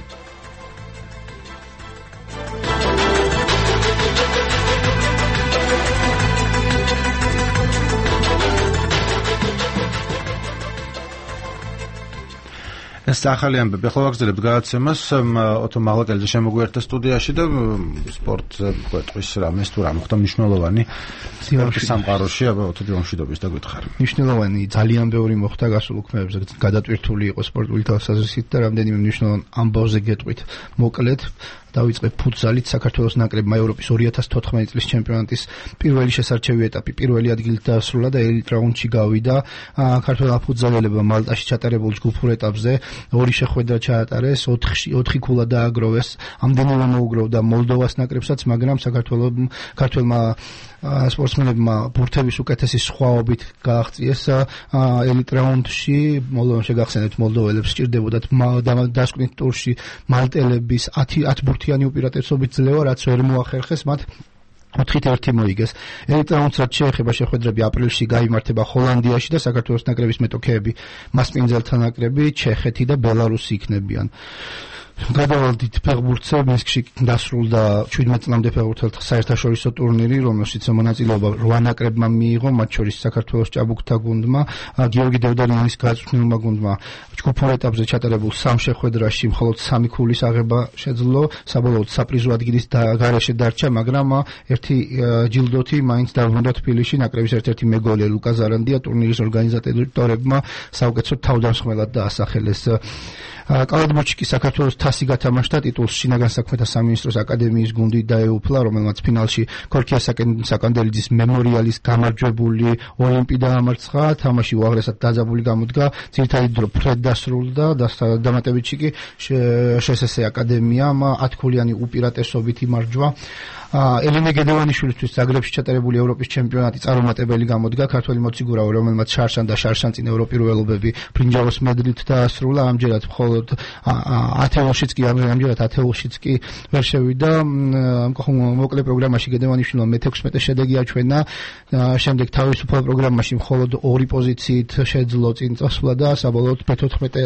Speaker 1: ეს ახალი ამბები. ახლა ვაგრძელებთ გადაცემას. ოტო მაღლაკელიძე შემოგვიერთდა სტუდიაში და სპორტზე გვეტყვის რამეს თუ რა მოხდა მნიშვნელოვანი სპორტის სამყაროში, აბა ოტო ჯომშვიდობის და გითხარ.
Speaker 10: მნიშვნელოვანი ძალიან ბევრი მოხდა გასულ უქმეებზე, გადატვირთული იყო სპორტული თვალსაზრისით და რამდენიმე მნიშვნელოვან ამბავზე გეტყვით. მოკლედ დავიწყებ ფუტზალით. საქართველოს ნაკრებმა ევროპის ორი ათას თოთხმეტი წლის ჩემპიონატის პირველი შესარჩევი ეტაპი პირველი ადგილით დაასრულა და ელიტ რაუნდში გავიდა. ქართველ ფუტზალელებმა მალტაში ჩატარებულ ჯგუფურ ეტაპზე ორი შეხვედრა ჩაატარეს, ოთხი ქულა დააგროვეს. ამდენივე მოუგროვდა მოლდოვას ნაკრებსაც, მაგრამ საქართველოს ქართველმა სპორტსმენებმა ბურთების უკეთესი სხვაობით გააღწიეს ელიტ რაუნდში. მოლდოვამ შეგახსენებთ, მოლდოველებს სჭირდებოდათ დასკვნით ტურში მალტელების ათი ბურთიანი უპირატესობით ძლევა, რაც ვერ მოახერხეს მათ. ოთხით ერთი მოიგეს. ელიტ რაუნდს რაც შეეხება შეხვედრები აპრილში გაიმართება ჰოლანდიაში და საქართველოს ნაკრების მეტოქეები მასპინძელთა ნაკრები ჩეხეთი და ბელარუსი იქნებიან. გადავალ დიდ ფეხბურთზე მინსკში დასრულდა შვიდმეტ წლამდე ფეხბურთელთა საერთაშორისო ტურნირი, რომელშიც მონაწილეობა რვა ნაკრებმა მიიღო, მათ შორის საქართველოს ჭაბუკთა გუნდმა, გიორგი დევდარიანის გაწვრთნილმა გუნდმა ჯგუფურ ეტაპზე ჩატარებულ სამ შეხვედრაში მხოლოდ სამი ქულის აღება შეძლო, საბოლოოდ საპრიზო ადგილის გარეშე დარჩა, მაგრამ ერთი ჯილდოთი მაინც დაბრუნდა თბილისში. ნაკრების ერთ-ერთი მეგოლე ლუკა ზარანდია ტურნირის ორგანიზატორებმა საუკეთესო თავდამსხმელად დაასახელეს. კალათბურთში საქართველოს თასი გათამაშდა, ტიტულს შინაგან საქმეთა სამინისტროს აკადემიის გუნდი დაეუფლა, რომელმაც ფინალში ქორქია საკანდელიძის მემორიალის გამარჯვებული ოლიმპი დაამარცხა. თამაში უაღრესად დაძაბული გამოდგა, ძირითადი დრო ფრედ დასრულდა, დამატებითში კი შსს აკადემიამ ათქულიანი უპირატესობით იმარჯვა. ელენე გედევანიშვილისთვის ზაგრებში ჩატარებული ევროპის ჩემპიონატი წარუმატებელი გამოდგა. ქართველი მოციგურავი, რომელმაც შარშან და შარშანწინ ევროპირველობები ბრინჯაოს მედლით დაასრულა, ამჯერად მხოლოდ ათეულშიც კი ამჯერად ათეულშიც კი ვერ შევიდა. მოკლე პროგრამაში გედევანიშვილმა მეთექვსმეტე შედეგი აჩვენა, შემდეგ თავისუფალ პროგრამაში მხოლოდ ორი პოზიციით შეძლო წინ წასვლა და საბოლოოდ მეთოთხმეტე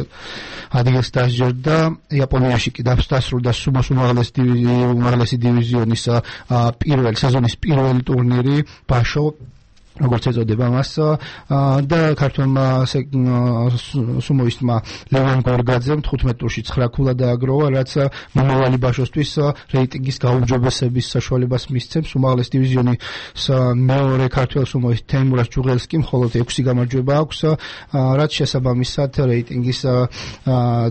Speaker 10: ადგილს დასჯერდა. იაპონიაში კი დასრულდა სუმოს უმაღლესი დივიზიონის პირველ სეზონის პირველი ტურნირი ბაშო, როგორც ეწოდება მას, და ქართველმა სუმოისტმა ლევან გორგაძემ თხუთმეტ ტურში ცხრა ქულა დააგროვა, რაც მომავალი ბაშოსთვის რეიტინგის გაუმჯობესების საშუალებას მისცემს. უმაღლეს დივიზიონის მეორე ქართველ სუმოისტ თეიმურას ჯუღელსკი მხოლოდ ექვსი გამარჯვება აქვს, რაც შესაბამისად რეიტინგის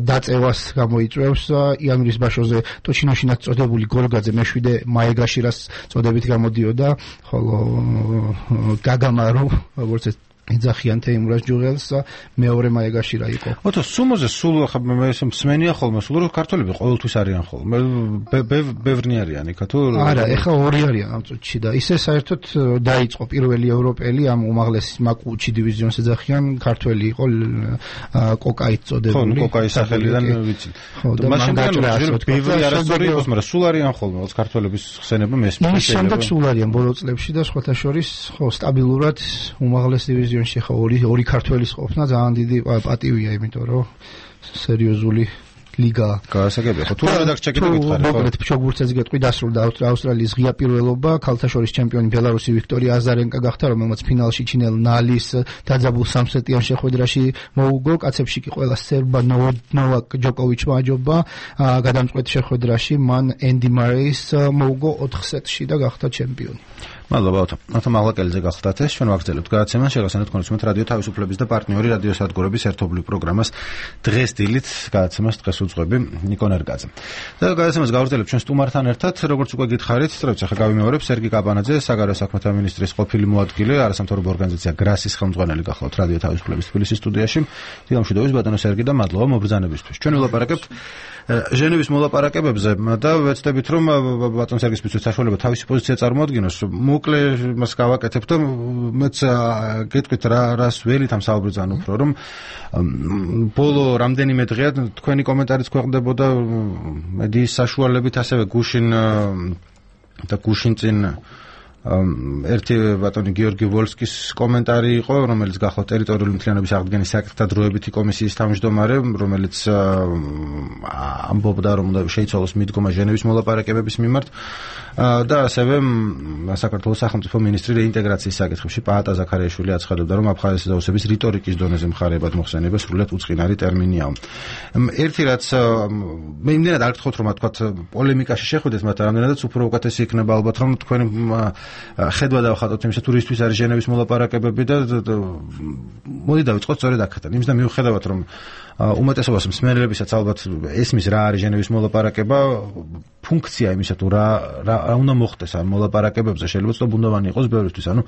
Speaker 10: დაწევას გამოიწვევს. იანვრის ბაშოზე ტოჩინოშინაც წოდებული გორგაძე მეშვიდე მაეგაშირას წოდებით გამოდიოდა, ხოლო გაგამარო, როგორც ეძახიან თეიმურას ჯუღელს, მეორე მაეგაშირა იყო.
Speaker 1: ოთო სუმოზე სულ ხა მე ეს მსმენია ხოლმე, სულ ქართველები ყოველთვის არიან ხოლმე. ბევრნი არიან იქა თუ?
Speaker 10: არა, ეხა ორი არიან ამ წუთში და ისე საერთოდ დაიწყო პირველი ევროპელი ამ უმაღლეს მაკუჩი დივიზიონს ეძახიან, ქართველი იყო კოკაით წოდებული.
Speaker 1: ხო, კოკაის სახელიდან ვიცი. მას შემდეგ ბევრი არასწორი იყოს, მაგრამ სულ არიან ხოლმე, რაც ქართველების ხსენება მესმის.
Speaker 10: ის შემდეგ სულ არიან ბოლო წლებში და სხვათა შორის ხო სტაბილურად უმაღლეს დივიზიონში ხა ორი ორი ქართველის ყოფნა ძალიან დიდი პატივია, იმიტომ რომ სერიოზული ლიგა
Speaker 1: გაასაგებია. ხო, თუ რედაქცია კიდე გითხარი, ხო?
Speaker 10: მოკლედ ფშოგბურთზე გეტყვი, დასრულდა ავსტრალიის ღია პირველობა, ქალთა შორის ჩემპიონი ბელარუსი ვიქტორია აზარენკა გახდა, რომელმაც ფინალში ჩინელ ნალის დაძაბულ სამსეტიან შეხვედრაში მოუგო. კაცებში კი ყველა სერბა ნოვაკ ჯოკოვიჩმა აჯობა, გადამწყვეტ შეხვედრაში მან ენდი მარეის მოუგო ოთხ სეტში და გახდა ჩემპიონი.
Speaker 1: მადლობა ოთო. ოთო მაღლაკელიძე გახლდათ ეს, ჩვენ ვაგრძელებთ გადაცემას, შეგახსენებთ კონსუმენტ რადიო თავისუფლების და პარტნიორი რადიო სადგურების ერთობლივ პროგრამას დღეს დილით გადაცემას დღეს უძღვები ნიკო ნერგაძე. და გადაცემას გავაგრძელებთ ჩვენ სტუმართან ერთად, როგორც უკვე გითხარით, სწორედ ახლა გავიმეორებ სერგი კაბანაძე, საგარეო საქმეთა მინისტრის ყოფილი მოადგილე, არასამთავრობო ორგანიზაცია გრასის ხელმძღვანელი გახლავთ რადიო თავისუფლების თბილისის სტუდიაში. დიდი გამშვიდობის ბატონო სერგი და მადლობა მობრძანებისთვის. ჩვენ ვილაპარაკებთ ჟენევის მოლაპარაკებებზე და ვეცდებით რომ ბატონ სერგის მისთვის საშუალება თავისი პოზიცია წარმოადგინოს. მოკლე მას გავაკეთებ და მეც გეტყვით რა რას ველით ამ საუბრიდან უფრო რომ ბოლო რამდენიმე დღეა თქვენი კომენტარიც ქვეყნდებოდა მედიის საშუალებით, ასევე გუშინ და გუშინ წინ ერთი ბატონი გიორგი ვოლსკის კომენტარი იყო, რომელიც გახლავთ ტერიტორიული მთლიანობის აღდგენის საკითხთა დროებითი კომისიის თავმჯდომარე, რომელიც ამბობდა რომ უნდა შეიცვალოს მიდგომა ჟენევის მოლაპარაკებების მიმართ და ასევე საქართველოს სახელმწიფო მინისტრი რეინტეგრაციის საკითხებში პაატა ზაქარიაშვილი აცხადებდა, რომ აფხაზეთის დაუსების რიტორიკის დონეზე მხარეებად მოხსენება სრულიად უწყინარი ტერმინიაო. ერთი რაც მე იმდენად არ გთხოვთ რომ თქვათ პოლემიკაში შეხვიდეთ, მაგრამ რამდენადაც უფრო უკეთესი იქნება ალბათ რომ თქვენ ხედვა დავხატოთ იმისა თუ რისთვის არის ჟენევის მოლაპარაკებები და მოდი დავიწყოთ სწორედ აქედან. იმის და მიუხედავად რომ უმეტესობას მსმენელებისაც ალბათ ესმის რა არის ჟენევის მოლაპარაკება, ფუნქცია იმისა თუ რა რა უნდა მოხდეს ამ მოლაპარაკებებზე შეიძლება ცნობუნდოვანი იყოს ბევრისთვის. ანუ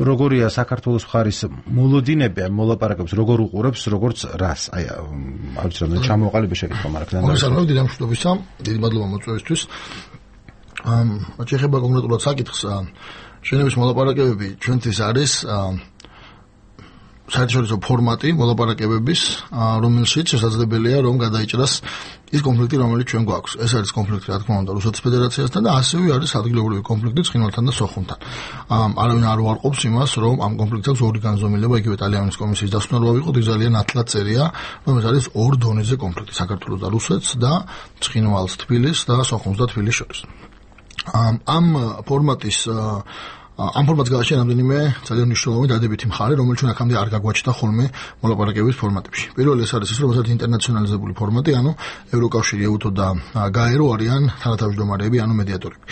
Speaker 1: როგორია საქართველოს მხარის მოლოდინები ამ მოლაპარაკებებს, როგორ უყურებს, როგორც რას? აი არ ვიცი რა ჩამოყალიბე შეკითხვა, მაგრამ
Speaker 11: მოგესალმებით, დიდი გამშვიდობისა, დიდი მადლობა მოწვევისთვის. ამ შეეხება კონკრეტულად საკითხს, ჟენევის მოლაპარაკებები ჩვენთვის არის საერთაშორისო ფორმატი მოლაპარაკებების, რომელშიც შესაძლებელია რომ გადაიჭრას ის კონფლიქტი, რომელიც ჩვენ გვაქვს. ეს არის კონფლიქტი, რა თქმა უნდა, რუსეთის ფედერაციასთან და ასევე არის ადგილობრივი კონფლიქტი ცხინვალთან და სოხუმთან. არავინ არ უარყოფს იმას, რომ ამ კონფლიქტს აქვს ორი განზომილება, იგივე ტალიანის კომისიის დასვენება ვიყოთ, იქ ძალიან ნათლად წერია, რომ ეს არის ორ დონეზე კონფლიქტი, საქართველოს და რუსეთს და ცხინვალს, თბილისს და სოხუმს და თბილისს შორის. ამ ფორმატის ამ ფორმატს გააჩნია რამდენიმე ძალიან მნიშვნელოვანი დადებითი მხარე, რომელიც ჩვენ აქამდე არ გაგვაჩნდა ხოლმე მოლაპარაკებების ფორმატებში. პირველი ეს არის ის, რომ ეს ინტერნაციონალიზებული ფორმატი, ანუ ევროკავშირი, ეუთო და გაერო არიან თანათავმჯდომარეები, ანუ მედიატორები.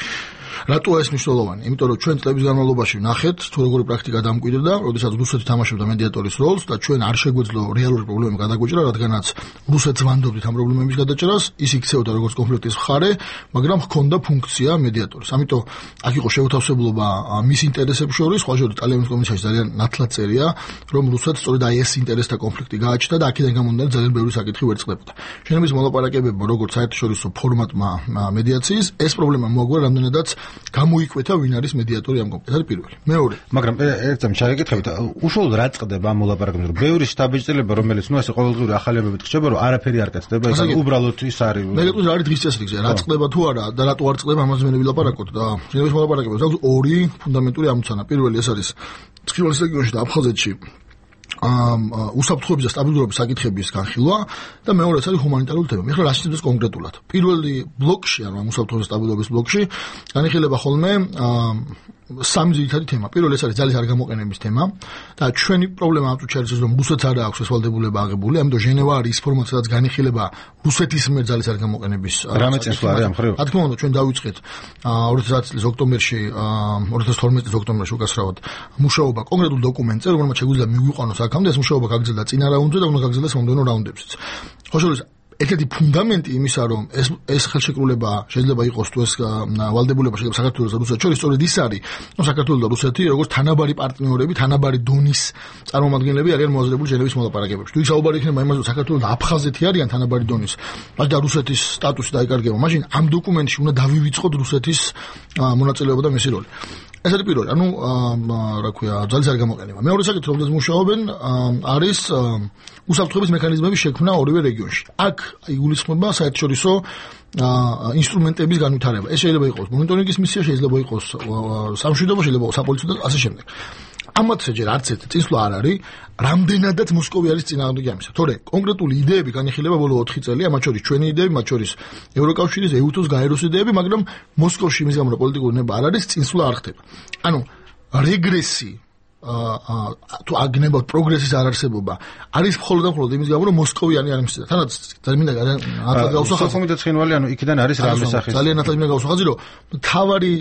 Speaker 11: რატო ეს მნიშვნელოვანი? იმიტომ რომ ჩვენ წლების განმავლობაში ნახეთ, თუ როგორი პრაქტიკა დამკვიდრდა, როდესაც რუსეთი თამაშობდა მედიატორის როლს და ჩვენ არ შეგვეძლო რეალური პრობლემები გადაგვიჭრა, რადგანაც რუსეთს ვანდობდით ამ პრობლემების გადაჭრას, ის იქცეოდა როგორც კონფლიქტის მხარე, მაგრამ ჰქონდა ფუნქცია მედიატორის. ამიტომ აქ იყო შეუთავსებლობა მის ინტერესებს შორის, სხვა შორის ტალიანის კომისიაში ძალიან ნათლად წერია, რომ რუსეთს სწორედ აი ეს ინტერესთა კონფლიქტი გააჩნდა და აქედან გამომდინარე ძალიან ბევრი საკითხი ვერწყდებოდა. შენების მოლაპარაკებებმა როგორც საერთაშორისო ფორმატმა მედიაციის, ეს პრობლემა მოაგვარ რამდენადაც გამოიკვეთა ვინ არის მედიატორი ამ კონფლიქტში. ეს არის პირველი. მეორე,
Speaker 1: მაგრამ ერთამ ჩაგეკითხებით, უშუალოდ რა წდება ამ მოლაპარაკებებში, რომ ბევრი შტაბეჭდილება, რომელიც ნუ ასე ყოველდღიური ახალებებით ხდება, რომ არაფერი არ კეთდება, ეს უბრალოდ ის არის.
Speaker 11: მე გეტყვი რა არის დღის წესრიგზე, რა წდება თუ არა და რატო არ წდება, ამაზე მე ვილაპარაკოთ და შენების მოლაპარაკებებს აქვს ორი ფუნდამენტური ამოცანა. პირველი ეს არის ცხინვალის რეგიონში და აფხაზეთში ამ უსაფრთხოების და სტაბილურობის საკითხების განხილვა და მეორე ეს არის ჰუმანიტარული თემა. ეხლა რა შეიძლება კონკრეტულად? პირველი ბლოკში, ანუ ამ უსაფრთხოების და სტაბილურობის ბლოკში განიხილება ხოლმე სამი ძირითადი თემა. პირველი ეს არის ძალის არ გამოყენების თემა და ჩვენი პრობლემა ამ წუთში არის ის, რომ რუსეთს არ აქვს ეს ვალდებულება აღებული, ამიტომ ჟენევა არის ის ფორმატი, სადაც განიხილება რუსეთის მიერ ძალის არ გამოყენების
Speaker 1: რამე წინსვლა არის ამ ხრივ.
Speaker 11: რა თქმა უნდა, ჩვენ დავიწყეთ ორი ათი წლის ოქტომბერში, ორი ათი თორმეტი წლის ოქტომბერში უკასრავად მუშაობა კონკრეტულ დოკუმენტზე, რომელმაც შეგვიძლია მიგვიყვანოს აქამდე ეს მუშაობა გაგრძელდა წინა რაუნდზე და უნდა გაგრძელდეს მომდევნო რაუნდებშიც. ხო შორის ერთ-ერთი ფუნდამენტი იმისა, რომ ეს ეს ხელშეკრულება შეიძლება იყოს თუ ეს ვალდებულება შეიძლება საქართველოს და რუსეთს შორის სწორედ ის არის, რომ საქართველოს და რუსეთი როგორც თანაბარი პარტნიორები, თანაბარი დონის წარმომადგენლები არიან მოაზრებული ჟენევის მოლაპარაკებებში. თუ საუბარი იქნება იმაზე, რომ საქართველოს და აფხაზეთი არიან თანაბარი დონის, და რუსეთის სტატუსი დაიკარგება, მაშინ ამ დოკუმენტში უნდა დავივიწყოთ რუსეთის მონაწილეობა და მისი როლი. ეს არის პირველი, ანუ რა ქვია, ძალის არ გამოყენება. მეორე საკითხი, რომელზეც მუშაობენ, არის უსაფრთხოების მექანიზმების შექმნა ორივე რეგიონში. აქ იგულისხმება საერთაშორისო ინსტრუმენტების განვითარება. ეს შეიძლება იყოს მონიტორინგის მისია, შეიძლება იყოს სამშვიდობო, შეიძლება იყოს საპოლიციო და ასე შემდეგ. ამათზე ჯერ არც ერთი წინსვლა არ არის, რამდენადაც მოსკოვი არის წინააღმდეგი ამისა. თორე კონკრეტული იდეები განიხილება ბოლო ოთხი წელია, მათ შორის ჩვენი იდეები, მათ შორის ევროკავშირის, ეუთოს, გაეროს იდეები, მაგრამ მოსკოვში იმის გამო რომ პოლიტიკური ნება არ არის, წინსვლა არ ხდება. ანუ რეგრესი თუ აგნებავთ პროგრესის არარსებობა არის მხოლოდ და მხოლოდ იმის გამო რომ მოსკოვიანი არ იმსდა. თანაც ძალიან მინდა ნათლად გავუსახაზრო.
Speaker 1: სოხუმი და ცხინვალი, ანუ იქიდან არის რამე სახის.
Speaker 11: ძალიან ნათლად მინდა გავუსახაზრო, რომ თავარი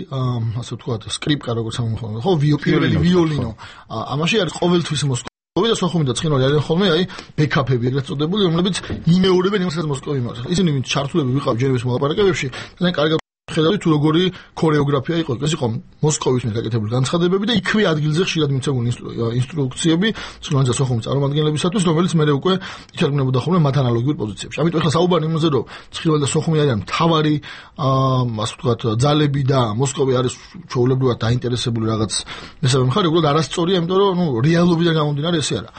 Speaker 11: ასე ვთქვათ, სკრიპკა როგორც ამხოლოდ, ხო, პირველი ვიოლინო. ამაში არის ყოველთვის მოსკოვი და სოხუმი და ცხინვალი არიან ხოლმე, აი, ბექაპები ეგრეთ წოდებული, რომლებიც იმეორებენ იმას, რაც მოსკოვი იმავს. ისინი ვინც ჩართულები ვიყავ ჟენევის მოლაპარაკებებში, ძალიან კარგად ხედავთ თუ როგორი ქორეოგრაფია იყო. ეს იყო მოსკოვის მიერ გაკეთებული განცხადებები და იქვე ადგილზე ხშირად მიცემული ინსტრუქციები ცხინვალის და სოხუმის წარმომადგენლებისათვის, რომელიც მე უკვე ითარგმნებოდა ხოლმე მათ ანალოგიურ პოზიციებში. ამიტომ ახლა საუბარი იმაზე, რომ ცხინვალი და სოხუმი არიან მთავარი, ასე ვთქვათ, ძალები და მოსკოვი არის ჩვეულებრივად დაინტერესებული რაღაც მესამე მხარე, უბრალოდ არასწორია, იმიტომ რომ ნუ რეალობიდან გამომდინარე ესე არა.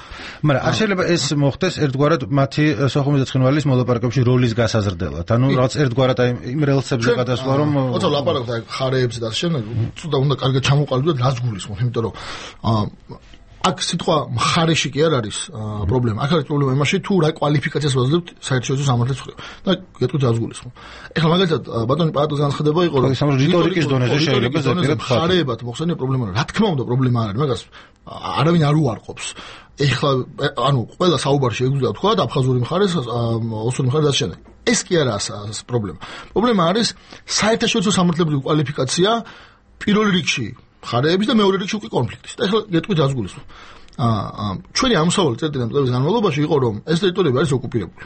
Speaker 1: მაგრამ არ შეიძლება ეს მოხდეს ერთგვარად მათი სოხუმის და ცხინვალის მოლაპარაკებებში როლის გასაზრდელად. ანუ რაღაც ერთგვარად აი იმ რელსებზე გადასვლა რომ
Speaker 11: ოცა ლაპარაკობთ აი ხარეებზე და შემდეგ ცუდა უნდა კარგად ჩამოყალიბდეთ რას გულისხმობთ, იმიტომ რომ აქ სიტყვა მხარეში კი არ არის პრობლემა. აქ არის პრობლემა იმაში, თუ რა კვალიფიკაციას ვაძლევთ საერთაშორისო სამართლის მხრივ. და გეტყვით რას გულისხმობ. ეხლა მაგალითად ბატონი პაატოს განცხადება იყო, რომ
Speaker 1: რიტორიკის დონეზე შეიძლება ზეპირად
Speaker 11: მხარეებად მოხსენია პრობლემა. რა თქმა უნდა პრობლემა არ არის, მაგას არავინ არ უარყოფს. ეხლა ანუ ყველა საუბარში შეგვიძლია თქვა და აფხაზური მხარეს, ოსური მხარეს და შემდეგ. ეს კი არაა პრობლემა. პრობლემა არის საერთაშორისო სამართლებრივი კვალიფიკაცია პირველ რიგში მხარეების და მეორე რიგში უკვე კონფლიქტის. და ეხლა გეტყვით რას გულისხმობ. აა ჩვენი ამსავალი წერტილი წლების განმავლობაში იყო, რომ ეს ტერიტორიები არის ოკუპირებული.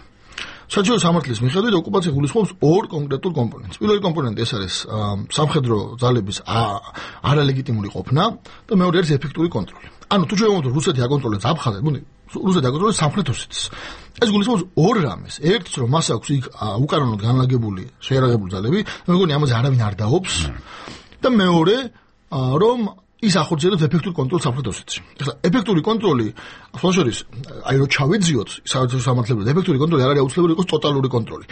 Speaker 11: საერთაშორისო სამართლის მიხედვით ოკუპაცია გულისხმობს ორ კონკრეტულ კომპონენტს. პირველი კომპონენტი ეს არის სამხედრო ძალების არალეგიტიმური ყოფნა და მეორე არის ეფექტური კონტროლი. ანუ თუ ჩვენ ვიმოწმოთ რუსეთი აკონტროლებს აფხაზეთს, ბუნი, რუსეთი აკონტროლებს სამხრეთ ოსეთის. ეს გულისხმობს ორ რამეს. ერთს რომ მას აქვს იქ უკანონოდ განლაგებული შეერაღებული ძალები, მე მგონი ამაზე არავინ არ დაობს. და მეორე რომ ის ახორციელებს ეფექტურ კონტროლს სამხრეთ ოსეთში. ეხლა ეფექტური კონტროლი სხვა შორის აი რო ჩავეძიოთ საერთო სამართლებრივად ეფექტური კონტროლი არ არის აუცილებელი იყოს ტოტალური კონტროლი.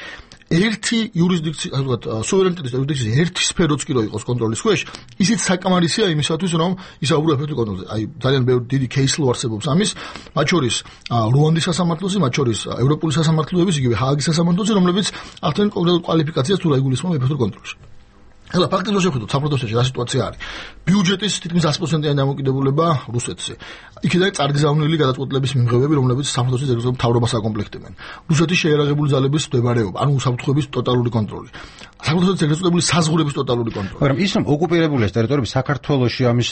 Speaker 11: ერთი იურისდიქცია, ასე ვთქვათ, სუვერენიტეტის იურისდიქციის ერთი სფეროც კი რო იყოს კონტროლის ქვეშ, ისიც საკამარისია იმისათვის, რომ ისაუბრო ეფექტურ კონტროლზე. აი ძალიან ბევრი დიდი кейს ლო არსებობს ამის, მათ შორის რუანდის სასამართლოზე, მათ შორის ევროპული სასამართლოების, იგივე ჰააგის სასამართლოზე, რომლებიც ახდენენ კონკრეტულ კვალიფიკაციას თუ რა იგულისხმება ეფექტურ კონტროლში. ეხლა ფაქტობრივად შევხედოთ საფრთხეში რა სიტუაცია არის. ბიუჯეტის თითქმის ათი პროცენტიანი დამოკიდებულება რუსეთზე. იქიდან წარგზავნილი გადაწყვეტილების მიმღებები, რომლებიც საფრთხეში ზეგზო მთავრობას აკომპლექტებენ. რუსეთის შეერაღებული ძალების მდებარეობა, ანუ უსაფრთხოების ტოტალური კონტროლი. საქართველოს ეგრესებული საზღვრების ტოტალური კონტროლი.
Speaker 1: მაგრამ ის რომ ოკუპირებული ეს ტერიტორიები საქართველოში ამის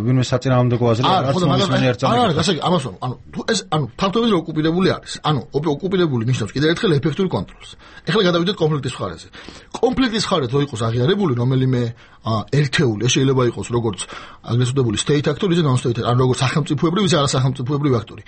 Speaker 1: ვინმე საწინააღმდეგო აზრი
Speaker 11: არ ხო და მაგალითად არა გასაგ ამას ანუ თუ ეს ანუ ფაქტობრივად ოკუპირებული არის. ანუ ოკუპირებული ნიშნავს კიდევ ერთხელ ეფექტურ კონტროლს. ეხლა გადავიდეთ კონფლიქტის მხარეზე. კონფლიქტის მხარეთ რო იყოს აღიარებული რომელიმე ერთეული, შეიძლება იყოს როგორც აგრესორული state actor, ისე non-state, ან როგორც სახელმწიფოებრივი, ისე არასახელმწიფოებრივი აქტორი.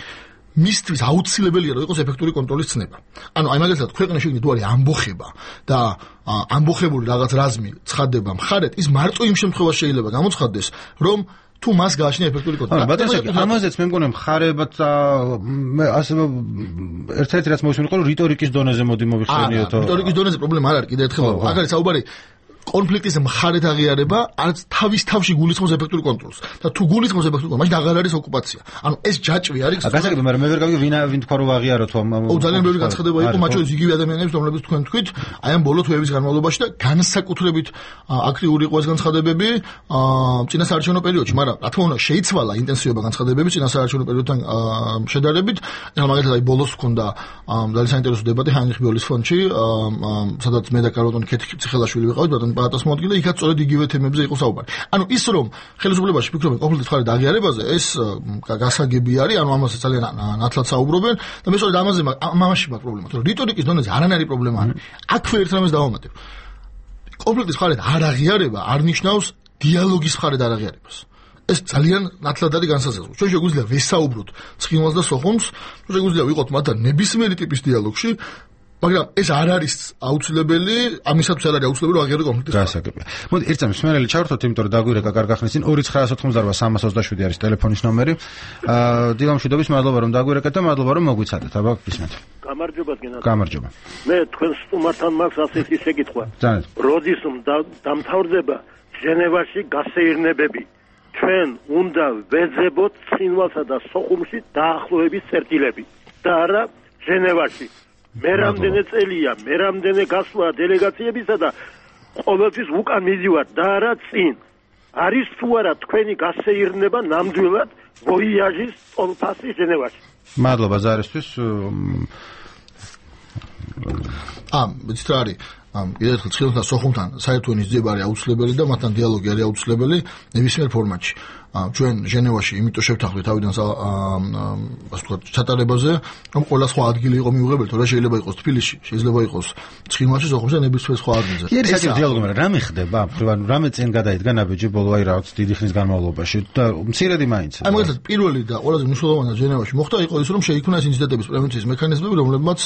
Speaker 11: მისთვის აუცილებელია რომ იყოს ეფექტური კონტროლის ცნება. ანუ აი მაგალითად ქვეყნის შიგნით თუ არის ამბოხება და ამბოხებული რაღაც რაზმი ცხადდება მხარეთ, ის მარტო იმ შემთხვევაში შეიძლება გამოცხადდეს, რომ თუ მას გააჩნია ეფექტური კონტროლი.
Speaker 1: ბატონო, ამაზეც მე მგონი მხარებად მე ასე ერთ-ერთი რაც მოვისმენთ იყო რომ რიტორიკის დონეზე მოდი მოვიხსენიოთ.
Speaker 11: რიტორიკის დონეზე პრობლემა არ არის კიდე ერთხელ. აქ არის საუბარი კონფლიქტის მხარეთ აღიარება არც თავის თავში გულისხმობს ეფექტურ კონტროლს და თუ გულისხმობს ეფექტურ კონტროლს, მაშინ აღარ არის ოკუპაცია. ანუ ეს ჯაჭვი არის.
Speaker 1: გასაგები, მაგრამ მე ვერ გავიგე ვინ ვინ თქვა რომ აღიაროთ ამ.
Speaker 11: ო ძალიან ბევრი განცხადება იყო, მათ შორის იგივე ადამიანების, რომლებიც თქვენ თქვით, აი ამ ბოლო თვეების განმავლობაში და განსაკუთრებით აქტიური იყო ეს განცხადებები წინასაარჩევნო პერიოდში, მაგრამ რა თქმა უნდა შეიცვალა ინტენსივობა განცხადებების წინასაარჩევნო პერიოდთან შედარებით. ეხლა მაგალითად აი ბოლოს ჰქონდა ძალიან საინტერესო დებატი ჰაინრიხ ბიოლის ფონდში, სადაც მე და კარლოტონ ქეთქი-ციხელაშვილი ვიყავით, ბატონ პალატას მოადგილე, იქაც სწორედ იგივე თემებზე იყო საუბარი. ანუ ის რომ ხელისუფლებაში ფიქრობენ კონფლიქტის მხარეთ აღიარებაზე, ეს გასაგები არის, ანუ ამაზე ძალიან ნათლად საუბრობენ და მე სწორედ ამაზე ამაში მაქვს პრობლემა, რომ რიტორიკის დონეზე არანაირი პრობლემა არის. აქვე ერთ რამეს დავამატებ. კონფლიქტის მხარეთ არ აღიარება არ ნიშნავს დიალოგის მხარეთ არ აღიარებას. ეს ძალიან ნათლად არის განსაზღვრული. ჩვენ შეგვიძლია ვესაუბროთ ცხინვალს და სოხუმს, შეგვიძლია ვიყოთ მათთან ნებისმიერი ტიპის დიალოგში, მაგრამ ეს არ არის აუცილებელი, ამისათვის არ არის აუცილებელი რომ აღიარო კონფლიქტის
Speaker 1: გასაგებია. მოდი ერთ წამს მერელი ჩავერთოთ, იმიტომ რომ დაგვირეკა კარგახნის წინ ორი ცხრა ოთხმოცდაოთხ სამას ოცდაშვიდი არის ტელეფონის ნომერი. აა დილამშვიდობის, მადლობა რომ დაგვირეკეთ და მადლობა რომ მოგვიცადეთ. აბა გისმენთ.
Speaker 12: გამარჯობა გენადი.
Speaker 1: გამარჯობა.
Speaker 12: მე თქვენ სტუმართან მაქვს ასეთი შეკითხვა.
Speaker 1: ძალიან.
Speaker 12: როდის დამთავრდება ჟენევაში გასეირნებები? ჩვენ უნდა ვეძებოთ ცხინვალსა და სოხუმში დაახლოების წერტილები და არა ჟენევაში. მე რამდენი წელია, მე რამდენი გასვლა დელეგაციებისა და ყოველთვის უკან მივიდივარ და არა წინ. არის თუ არა თქვენი გასეირნება ნამდვილად ვოიაჟის ტოლფასი ჟენევაში?
Speaker 1: მადლობა ზარისთვის.
Speaker 11: ამ ვიცით რა არის? ამ კიდევ ერთხელ ცხინვალსა და სოხუმთან საერთო ენის ძიება არის აუცილებელი და მათთან დიალოგი არის აუცილებელი ნებისმიერ ფორმატში. ჩვენ ჟენევაში იმიტომ შევთანხმდით თავიდან ასე ვთქვათ ჩატარებაზე, რომ ყველა სხვა ადგილი იყო მიუღებელი, თორე შეიძლება იყოს თბილისში, შეიძლება იყოს ცხინვალში, სოხუმში და ნებისმიერ სხვა ადგილზე.
Speaker 1: კი არის საერთო დიალოგი, მაგრამ რამე ხდება? ანუ რამე წინ გადაიდგა ნაბიჯი ბოლო აი რაღაც დიდი ხნის განმავლობაში და მცირედი მაინც.
Speaker 11: აი მაგალითად პირველი და ყველაზე მნიშვნელოვანი ჟენევაში მოხდა იყო ის, რომ შეიქმნა ეს ინციდენტების პრევენციის მექანიზმები, რომლებმაც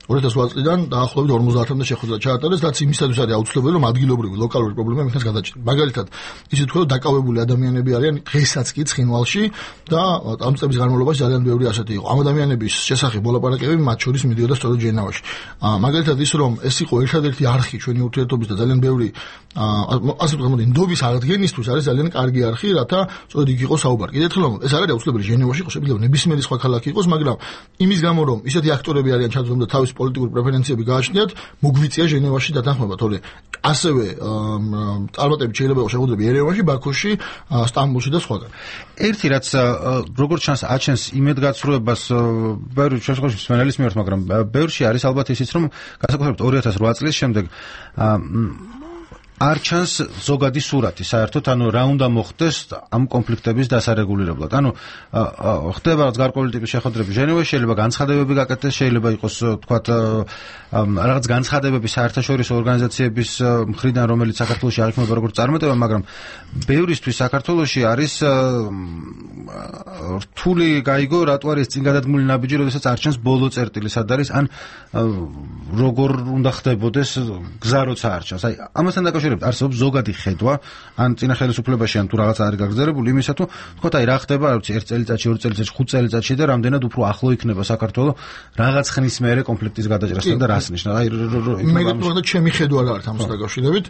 Speaker 11: ორი ათას ოთხ წლიდან დაახლოებით ორმოცდაათამდე შეხვედრა ჩაატარეს, რაც იმისათვის არის აუცილებელი, რომ ადგილობრივი ლოკალური პრობლემა იქნას გადაჭრილი. მაგალითად, ისე თქვა, რომ დაკავებული ადამიანები არიან დღესაც კი ცხინვალში და ამ წლების განმავლობაში ძალიან ბევრი ასეთი იყო. ამ ადამიანების შესახებ მოლაპარაკებები მათ შორის მიდიოდა სწორედ ჟენევაში. მაგალითად ის რომ ეს იყო ერთადერთი არხი ჩვენი ურთიერთობის და ძალიან ბევრი ასე ვთქვათ, ნდობის აღდგენისთვის არის ძალიან კარგი არხი, რათა სწორედ იქ იყოს საუბარი. კიდევ ერთხელ ეს არ არის აუცილებელი ჟენევაში იყოს, შეიძლება ნებისმიერი სხვა ქალაქი იყოს, მაგრამ იმის გამო რომ ისეთი აქტორები არიან ჩაძრომდა თავის პოლიტიკური პრეფერენციები გააჩნიათ, მოგვიწია ჟენევაში დათანხმება, თორე ასევე წარმატებით შეიძლება იყოს შეხვედრები ერევანში, ბაქოში, სტამბოლში და სხვაგან.
Speaker 1: ერთი რაც როგორც ჩანს აჩენს იმედგაცრუებას ბევრი შესაძლოა სვენელის მიერ, მაგრამ ბევრში არის ალბათ ისიც რომ განსაკუთრებით ორი ათას ოთხ წლის შემდეგ არ ჩანს ზოგადი სურათი საერთოდ, ანუ რა უნდა მოხდეს ამ კონფლიქტების დასარეგულირებლად. ანუ ხდება რაღაც გარკვეული ტიპის შეხვედრები ჟენევაში, შეიძლება განცხადებები გაკეთდეს, შეიძლება იყოს თქვათ რაღაც განცხადებები საერთაშორისო ორგანიზაციების მხრიდან, რომელიც საქართველოში არ იქნება როგორც წარმატება, მაგრამ ბევრისთვის საქართველოში არის რთული გაიგო, რატო არის წინ გადადგმული ნაბიჯი, როდესაც არ ჩანს ბოლო წერტილი სად არის, ან როგორ უნდა ხდებოდეს გზა როცა არ ჩანს. აი ამასთან დაკავშირებით დაკავშირებით არსებობს ზოგადი ხედვა ან წინა ხელისუფლებაში ან თუ რაღაცა არის გაგრძელებული იმისა თუ თქო აი რა ხდება რა ვიცი ერთ წელიწადში ორ წელიწადში ხუთ წელიწადში და რამდენად უფრო ახლო იქნება საქართველოს რაღაც ხნის მერე კონფლიქტის გადაჭრასთან და რას ნიშნავს აი
Speaker 11: მე გეტყვი ჩემი ხედვა რა არის ამას დაკავშირებით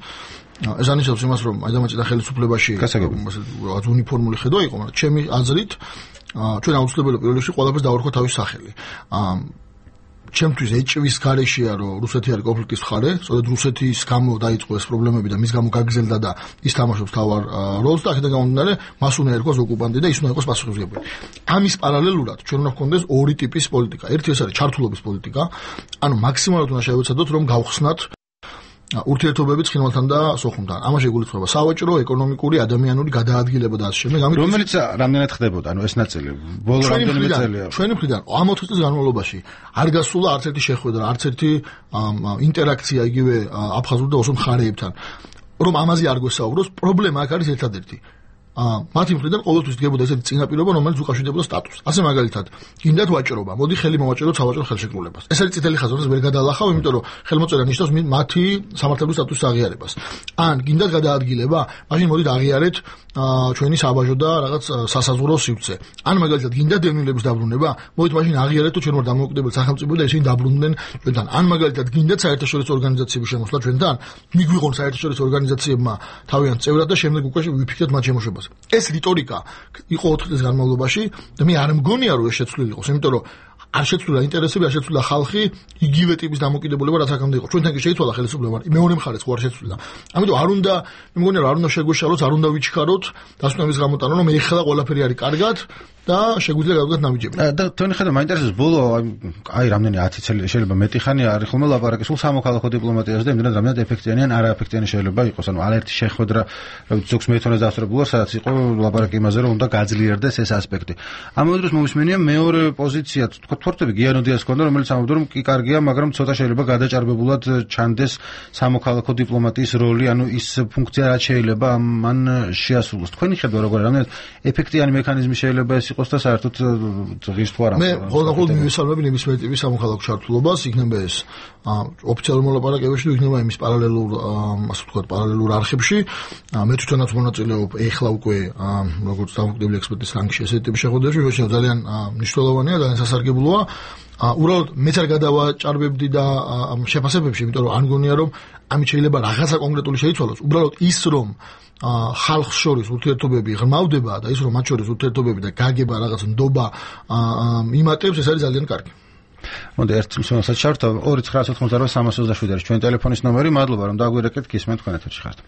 Speaker 11: ეს ანიშნავს იმას რომ აი დამაჭირდა ხელისუფლებაში რაღაც უნიფორმული ხედვა იყო მაგრამ ჩემი აზრით ჩვენ აუცილებლად პირველ რიგში ყველაფერს დავარქვა თავის სახელი ჩემთვის ეჭვის გარეშეა რომ რუსეთი არის კონფლიქტის მხარე, სწორედ რუსეთის გამო დაიწყო ეს პრობლემები და მის გამო გაგრძელდა და ის თამაშობს თავარ როლს და აქედან გამომდინარე მას უნდა ერქოს ოკუპანტი და ის უნდა იყოს პასუხისმგებელი. ამის პარალელურად ჩვენ უნდა გვქონდეს ორი ტიპის პოლიტიკა. ერთი ეს არის ჩართულობის პოლიტიკა, ანუ მაქსიმალურად უნდა შევეცადოთ რომ გავხსნათ ურთიერთობები ცხინვალთან და სოხუმთან. ამაში იგულისხმება სავაჭრო, ეკონომიკური, ადამიანური გადაადგილება და ასე შემდეგ.
Speaker 1: რომელიც რამდენად ხდებოდა, ანუ ეს ნაწილი ბოლო რამდენიმე წელია.
Speaker 11: ჩვენი მხრიდან ამ ოთხ წლის განმავლობაში არ გასულა არც ერთი შეხვედრა, არც ერთი ინტერაქცია იგივე აფხაზურ და ოსურ მხარეებთან. რომ ამაზე არ გვესაუბროს, პრობლემა აქ არის ერთადერთი. მათი მხრიდან ყოველთვის დგებოდა ესეთი წინაპირობა, რომელიც უკავშირდებოდა სტატუსს. ასე მაგალითად, გინდათ ვაჭრობა, მოდი ხელი მოვაჭროთ სავაჭრო ხელშეკრულებას. ეს არის წითელი ხაზი, რომელსაც ვერ გადაალახავ, იმიტომ რომ ხელმოწერა ნიშნავს მათი სამართლებრივ სტატუსის აღიარებას. ან გინდათ გადაადგილება, მაშინ მოდით აღიარეთ ჩვენი საბაჟო და რაღაც სასაზღვრო სივრცე. ან მაგალითად, გინდათ დევნილების დაბრუნება, მოდით მაშინ აღიარეთ, თუ ჩვენ ვარ დამოუკიდებელი სახელმწიფო და ისინი დაბრუნდნენ ჩვენთან. ან მაგალითად, გინდათ საერთაშორისო ორგანიზაციების შემოსვლა ჩვენთან, მიგვიღონ საერთაშორისო ორგანიზაციებმა თავიანთ წევრად და შემდეგ უკვე ვიფიქრეთ მათ შემოშვებას. ეს რიტორიკა იყო ოთხ წლის განმავლობაში და მე არ მგონია რომ ეს შეცვლილი იყოს, იმიტომ რომ არ შეცვლილა ინტერესები, არ შეცვლილა ხალხი, იგივე ტიპის დამოკიდებულება რაც აქამდე იყო. ჩვენთან კი შეიცვალა ხელისუფლება, მეორე მხარეც ხო არ შეცვლილა. ამიტომ არ უნდა, მე მგონია რომ არ უნდა შეგვეშალოთ, არ უნდა ვიჩქაროთ დასვენების გამოტანა, რომ ეხლა ყველაფერი არის კარგად და შეგვიძლია გავდგათ ნაბიჯები.
Speaker 1: და თქვენი ხედვა მაინტერესებს ბოლო აი რამდენი ათი წელი შეიძლება მეტი ხანი არის ხოლმე ლაპარაკი სულ სამოქალაქო დიპლომატიაზე და იმდენად რამდენად ეფექტიანი ან არაეფექტიანი შეიძლება იყოს. ანუ არაერთი შეხვედრა ზოგს მეეთონე დასწრებულა, სადაც იყო ლაპარაკი იმაზე, რომ უნდა გაძლიერდეს ეს ასპექტი. ამავე დროს მომისმენია მეორე პოზიცია, თქო თორტები გიანო დიას ქონდა, რომელიც ამბობდა, რომ კი კარგია, მაგრამ ცოტა შეიძლება გადაჭარბებულად ჩანდეს სამოქალაქო დიპლომატიის როლი, ანუ ის ფუნქცია რაც შეიძლება მან შეასრულოს. თქვენი ხედვა როგორია, რამდენად ეფექტიანი მექანიზმი შეიძლება ეს იყოს და საერთოდ ღირს თუ არა?
Speaker 11: მე ხოლმე მივესალმები ნებისმიერ ტიპის სამოქალაქო ჩართულობას, იქნება ეს ოფიციალურ მოლაპარაკებებში, იქნება იმის პარალელურ, ასე ვთქვათ, პარალელურ არხებში. მე თვითონაც მონაწილეობ ეხლა უკვე როგორც დამოუკიდებელი ექსპერტის რანგში ესეთი ტიპის შეხვედრებში, შეიძლება ძალიან მნიშვნელოვანია, ძალიან სასარგებლოა. უბრალოდ მეც არ გადავაჭარბებდი და ამ შეფასებებში, იმიტომ რომ არ მგონია რომ ამით შეიძლება რაღაცა კონკრეტული შეიცვალოს. უბრალოდ ის რომ ხალხს შორის ურთიერთობები ღრმავდება და ის რომ მათ შორის ურთიერთობები და გაგება რაღაც ნდობა იმატებს, ეს არის ძალიან კარგი.
Speaker 1: მოდი ერთ მსმენელსაც ჩავართავ ორი ცხრა ოთხმოცდაოთხი სამას ოცდაშვიდი არის ჩვენი ტელეფონის ნომერი. მადლობა რომ დაგვირეკეთ, გისმენთ თქვენ ეთერში ხართ.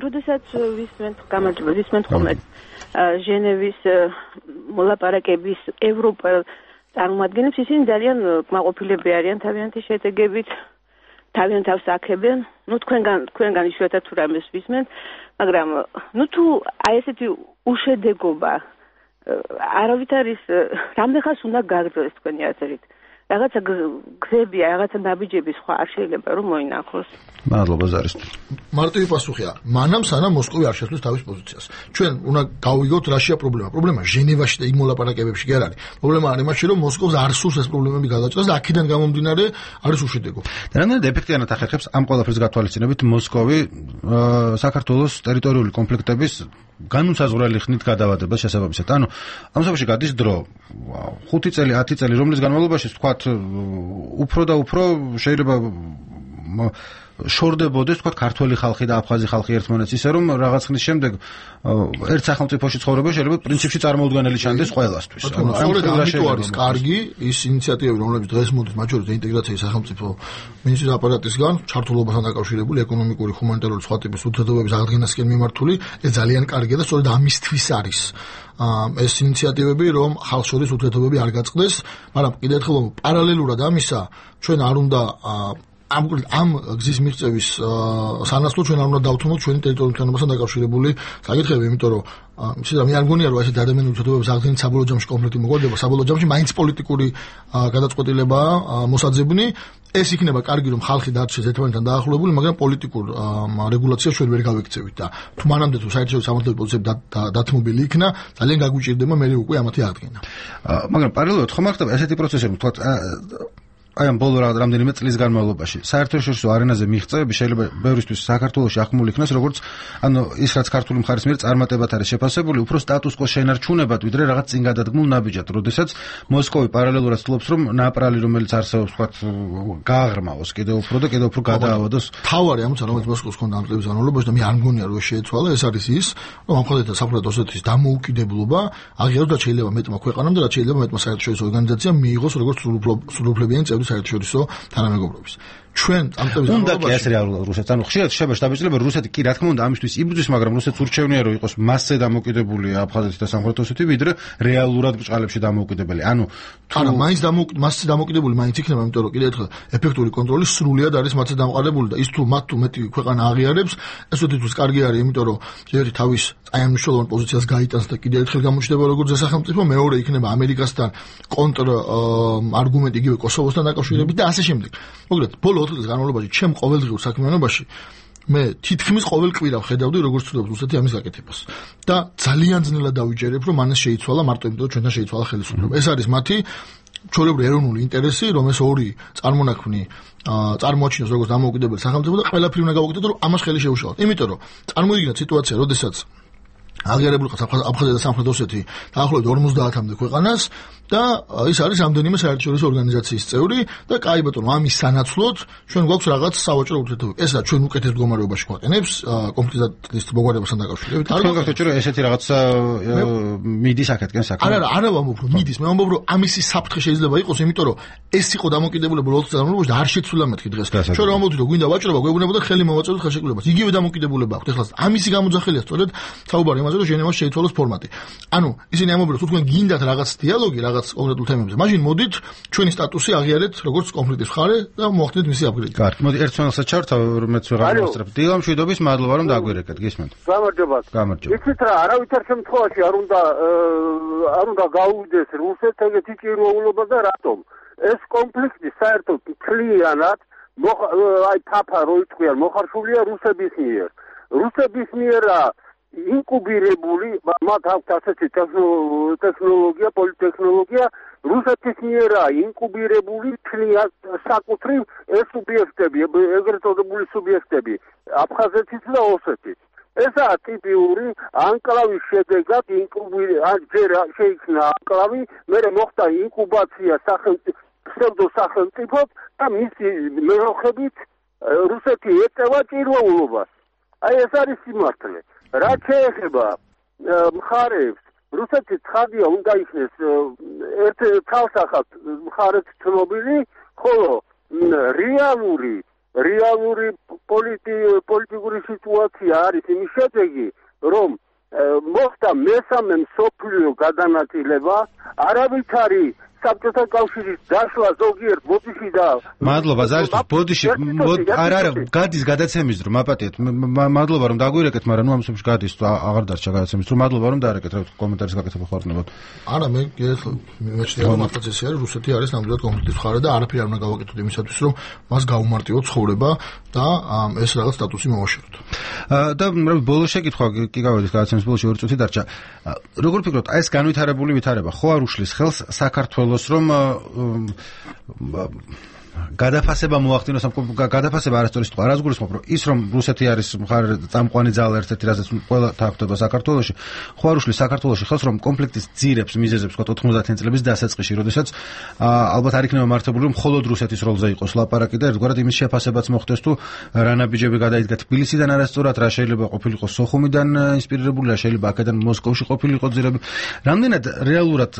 Speaker 13: როდესაც ვისმენთ გამარჯობა, ვისმენთ ხოლმე ჟენევის მოლაპარაკების ევროპელ წარმომადგენლებს, ისინი ძალიან კმაყოფილები არიან თავიანთი შედეგებით, თავიანთ თავს აქებენ. ნუ თქვენგან თქვენგან იშვიათად თუ რამეს ვისმენთ, მაგრამ ნუ თუ აი ესეთი უშედეგობა არავით არის, რამდენ ხანს უნდა გაგრძელოს თქვენი აზრით? რაღაცა გზები, რაღაცა ნაბიჯები სხვა არ შეიძლება რომ მოინახოს.
Speaker 1: მადლობა ზარისთვის.
Speaker 11: მარტივი პასუხია. მანამ სანამ მოსკოვი არ შეცვლის თავის პოზიციას. ჩვენ უნდა გავიგოთ რაშია პრობლემა. პრობლემა ჟენევაში და იმ მოლაპარაკებებში კი არ არის. პრობლემა არის იმაში, რომ მოსკოვს არ სურს ეს პრობლემები გადაჭრას და აქედან გამომდინარე არის უშედეგო.
Speaker 1: და რამდენად ეფექტიანად ახერხებს ამ ყველაფერს გათვალისწინებით მოსკოვი საქართველოს ტერიტორიული კონფლიქტების განუსაზღვრელი ხნით გადავადებას შესაბამისად. ანუ ამ სამში გადის დრო ხუთი წელი, ათი წელი, რომლის განმავლობაში თქვათ უფრო და უფრო შეიძლება შორდებოდეს თქვათ ქართველი ხალხი და აფხაზი ხალხი ერთმანეთს, ისე რომ რაღაც ხნის შემდეგ ერთ სახელმწიფოში ცხოვრება შეიძლება პრინციპში წარმოუდგენელი ჩანდეს ყველასთვის.
Speaker 11: ანუ ამიტომ არის კარგი ის ინიციატივები, რომლებიც დღეს მოდის მათ შორის ინტეგრაციის სახელმწიფო მინისტრის აპარატისგან, ჩართულობასთან დაკავშირებული ეკონომიკური, ჰუმანიტარული სხვა ტიპის ურთიერთობების აღდგენასკენ მიმართული, ეს ძალიან კარგია და სწორედ ამისთვის არის ეს ინიციატივები, რომ ხალხს შორის ურთიერთობები არ გაწყდეს, მაგრამ კიდევ ერთხელ პარალელურად ამისა ჩვენ არ უნდა ამ ამ გზის მიღწევის სანაცვლოდ ჩვენ არ უნდა დავთმოთ ჩვენი ტერიტორიული თანხმობასთან დაკავშირებული საკითხები, იმიტომ რომ შეიძლება მე არ მგონია რომ ესეთი ადამიანური ურთიერთობების აღდგენის საბოლოო ჯამში კონფლიქტი მოგვარდება, საბოლოო ჯამში მაინც პოლიტიკური გადაწყვეტილებაა მოსაძებნი. ეს იქნება კარგი რომ ხალხი დარჩეს ერთმანეთთან დაახლოებული, მაგრამ პოლიტიკურ რეგულაციას ჩვენ ვერ გავექცევით და თუ მანამდე თუ საერთაშორისო სამართლებრივი პოზიციები დათმობილი იქნა, ძალიან გაგუჭირდება მე უკვე ამათი აღდგენა.
Speaker 1: მაგრამ პარალელურად ხომ არ ხდება ესეთი პროცესები, თქვათ აი ამ ბოლო რამდენიმე წლის განმავლობაში საერთაშორისო არენაზე მიღწევები შეიძლება ბევრისთვის საქართველოში ახმული იქნას როგორც ანუ ის რაც ქართული მხარის მიერ წარმატებად არის შეფასებული უფრო სტატუს კვოს შენარჩუნებად ვიდრე რაღაც წინ გადადგმულ ნაბიჯად როდესაც მოსკოვი პარალელურად ცდილობს რომ ნაპრალი რომელიც არსებობს თქვათ გააღრმავოს კიდევ უფრო და კიდევ უფრო გადაავადოს
Speaker 11: თავარი ამოცა რომელიც მოსკოვს ჰქონდა ამ წლების განმავლობაში და მე არ მგონია რომ შეეცვალა ეს არის ის რომ ამხელეთ საფრთხე ოსეთის დამოუკიდებლობა აღიაროს და შეიძლება მეტმა ქვეყანამ და რაც შეიძლება მეტმა საერთაშორისო ორგანიზაციამ მიიღოს როგორც სრულუფლებიანი წევრი საერთაშორისო თანამეგობრობის ჩვენ ამ წლების
Speaker 1: უნდა კი ეს რეალურად რუსეთს ანუ ხშირად შეიძლება შთაბეჭდილება რუსეთი კი რა თქმა უნდა ამისთვის იბრძვის მაგრამ რუსეთს ურჩევნია რომ იყოს მასზე დამოუკიდებული აფხაზეთი და სამხრეთ ოსეთი ვიდრე რეალურად ბჭყალებში დამოუკიდებელი ანუ
Speaker 11: არა მაინც მასზე დამოუკიდებული მაინც იქნება იმიტომ რომ კიდევ ერთხელ ეფექტური კონტროლი სრულიად არის მათზე დამყარებული და ის თუ მათ თუ მეტი ქვეყანა აღიარებს ეს ოდითუს კარგი არის იმიტომ რომ ერთი თავის აი ამ მნიშვნელოვან პოზიციას გაიტანს და კიდევ ერთხელ გამოჩნდება როგორც სახელმწიფო მეორე იქნება ამერიკასთან კონტრ არგუმენტი იგივე კოსოვოსთან დაკავშირებით და ასე შემდეგ მოგლეთ ბოლო ოთხ წლის განმავლობაში ჩემ ყოველდღიურ საქმიანობაში მე თითქმის ყოველ კვირა ვხედავდი როგორც ცდილობს რუსეთი ამის გაკეთებას და ძალიან ძნელად დავიჯერებ რომ მანეს შეიცვალა მარტო იმიტომ რომ ჩვენთან შეიცვალა ხელისუფლება ეს არის მათი ჩვეულებრივი ეროვნული ინტერესი რომ ეს ორი წარმონაქმნი წარმოაჩინოს როგორც დამოუკიდებელი სახელმწიფო და ყველაფერი უნდა გავაკეთოთ რომ ამას ხელი შეუშალოთ იმიტომ რომ წარმოიდგინეთ სიტუაცია როდესაც აღიარებული ყავს აფხაზეთი და სამხრეთ ოსეთი დაახლოებით ორმოცდაათამდე ქვეყანას და ის არის რამდენიმე საერთაშორისო ორგანიზაციის წევრი და კაი ბატონო ამის სანაცვლოდ ჩვენ გვაქვს რაღაც სავაჭრო ურთიერთობები ესა ჩვენ უკეთეს მდგომარეობაში გვაყენებს კონფლიქტის მოგვარებასთან დაკავშირებით
Speaker 1: არ გქონდათ რომ ესეთი რაღაცა მიდის აქეთკენ საქმე
Speaker 11: არა არა არა ვამბობ რომ მიდის მე ვამბობ რომ ამისი საფრთხე შეიძლება იყოს იმიტომ რომ ეს იყო დამოკიდებულება ოთხ წელს განმავლობაში და არ შეცვლილა მეთქი დღეს ჩვენ ვამბობთ რომ გვინდა ვაჭრობა გვეუბნებოდა ხელი მოვაწოდოთ ხელშეკრულებას იგივე დამოკიდებულება აქვს ეხლა ამისი გამოძახილია სწორედ საუბარი იმაზე რომ ჟენევაში შეიცვალოს ფორმატი ანუ ისინი ამბობენ რომ თუ თქვენ გინდათ რაღაც დიალოგი რაღაც კონკრეტულ თემებზე მაშინ მოდით ჩვენი სტატუსი აღიარეთ როგორც კონფლიქტის მხარე და მოახდინეთ მისი აპგრეიდი
Speaker 1: კარგი მოდი ერთ წელსაც ჩართავ მეც ვეღარ მოსწრებ დილა მშვიდობის მადლობა რომ დაგვირეკეთ გისმენთ
Speaker 12: გამარჯობა
Speaker 1: გამარჯობა
Speaker 12: იცით რა არავითარ შემთხვევაში არ უნდა არ უნდა გაუვიდეს რუსეთს ეგეთი ჭირვეულობა და რატომ ეს კონფლიქტი საერთოდ მთლიანად აი თაფა რო იტყვიან მოხარშულია რუსების მიერ რუსების მიერა ინკუბირებული მათ აქვს ასეთი ტექნოლოგია პოლიტექნოლოგია რუსეთის მიერა ინკუბირებული თლიან საკუთრივ ეს სუბიექტები ეგრეთ წოდებული სუბიექტები აფხაზეთის და ოსეთის ესაა ტიპიური ანკლავის შედეგად ინკუბირ ან ჯერ შეიქმნა ანკლავი მერე მოხდა ინკუბაცია სახელმწიფო ფსევდო სახელმწიფოდ და მისი მეოხებით რუსეთი ეწევა ჭირვეულობას აი ეს არის სიმართლე რაც შეეხება მხარეებს რუსეთი ცხადია უნდა იქნეს ერთ თავსახად მხარეთ ცნობილი ხოლო რეალური რეალური პოლიტიკური სიტუაცია არის იმის შედეგი რომ მოხდა მესამე მსოფლიო გადანაწილება არავითარი საბჭოთა კავშირის დაშლა ზოგიერთ ბოდიში და
Speaker 1: მადლობა ზარისთვის ბოდიში არა არა გადის გადაცემის დრო მაპატიეთ მადლობა რომ დაგვირეკეთ მაგრამ ნუ ამ სოფში გადის აღარ დარჩა გადაცემის დრო მადლობა რომ დაარეკეთ რა კომენტარის გაკეთება ხوارნებოდ
Speaker 11: არა მე მეჩნია რომ მართლაც ეს არის რუსეთი არის ნამდვილად კონფლიქტის მხარე და არაფერი არ უნდა გავაკეთოთ იმისათვის რომ მას გაუმარტივოთ ცხოვრება და ეს რაღაც სტატუსი მოვაშოროთ
Speaker 1: და ბოლო შეკითხვა კი გავედით გადაცემის ბოლოში ორი წუთი დარჩა როგორ ფიქრობთ აი ეს განვითარებული ვითარება ხო არ უშლის ხელს საქართველოს რომ გადაფასება მოახდინოს ამ გადაფასება არასწორი სიტყვა რას გულისხმობ რომ ის რომ რუსეთი არის მხარე წამყვანი ძალა ერთ-ერთი რაზეც ყველა თანხმდება საქართველოში ხო არ უშლის საქართველოში ხელს რომ კონფლიქტის ძირებს მიზეზებს ვთქვათ ოთხმოცდაათი წლების დასაწყისში როდესაც ალბათ არ იქნება მართებული რომ მხოლოდ რუსეთის როლზე იყოს ლაპარაკი და ერთგვარად იმის შეფასებაც მოხდეს თუ რა ნაბიჯები გადაიდგა თბილისიდან არასწორად რა შეიძლება ყოფილიყო სოხუმიდან ინსპირირებული რა შეიძლება აქედან მოსკოვში ყოფილიყო ძირები რამდენად რეალურად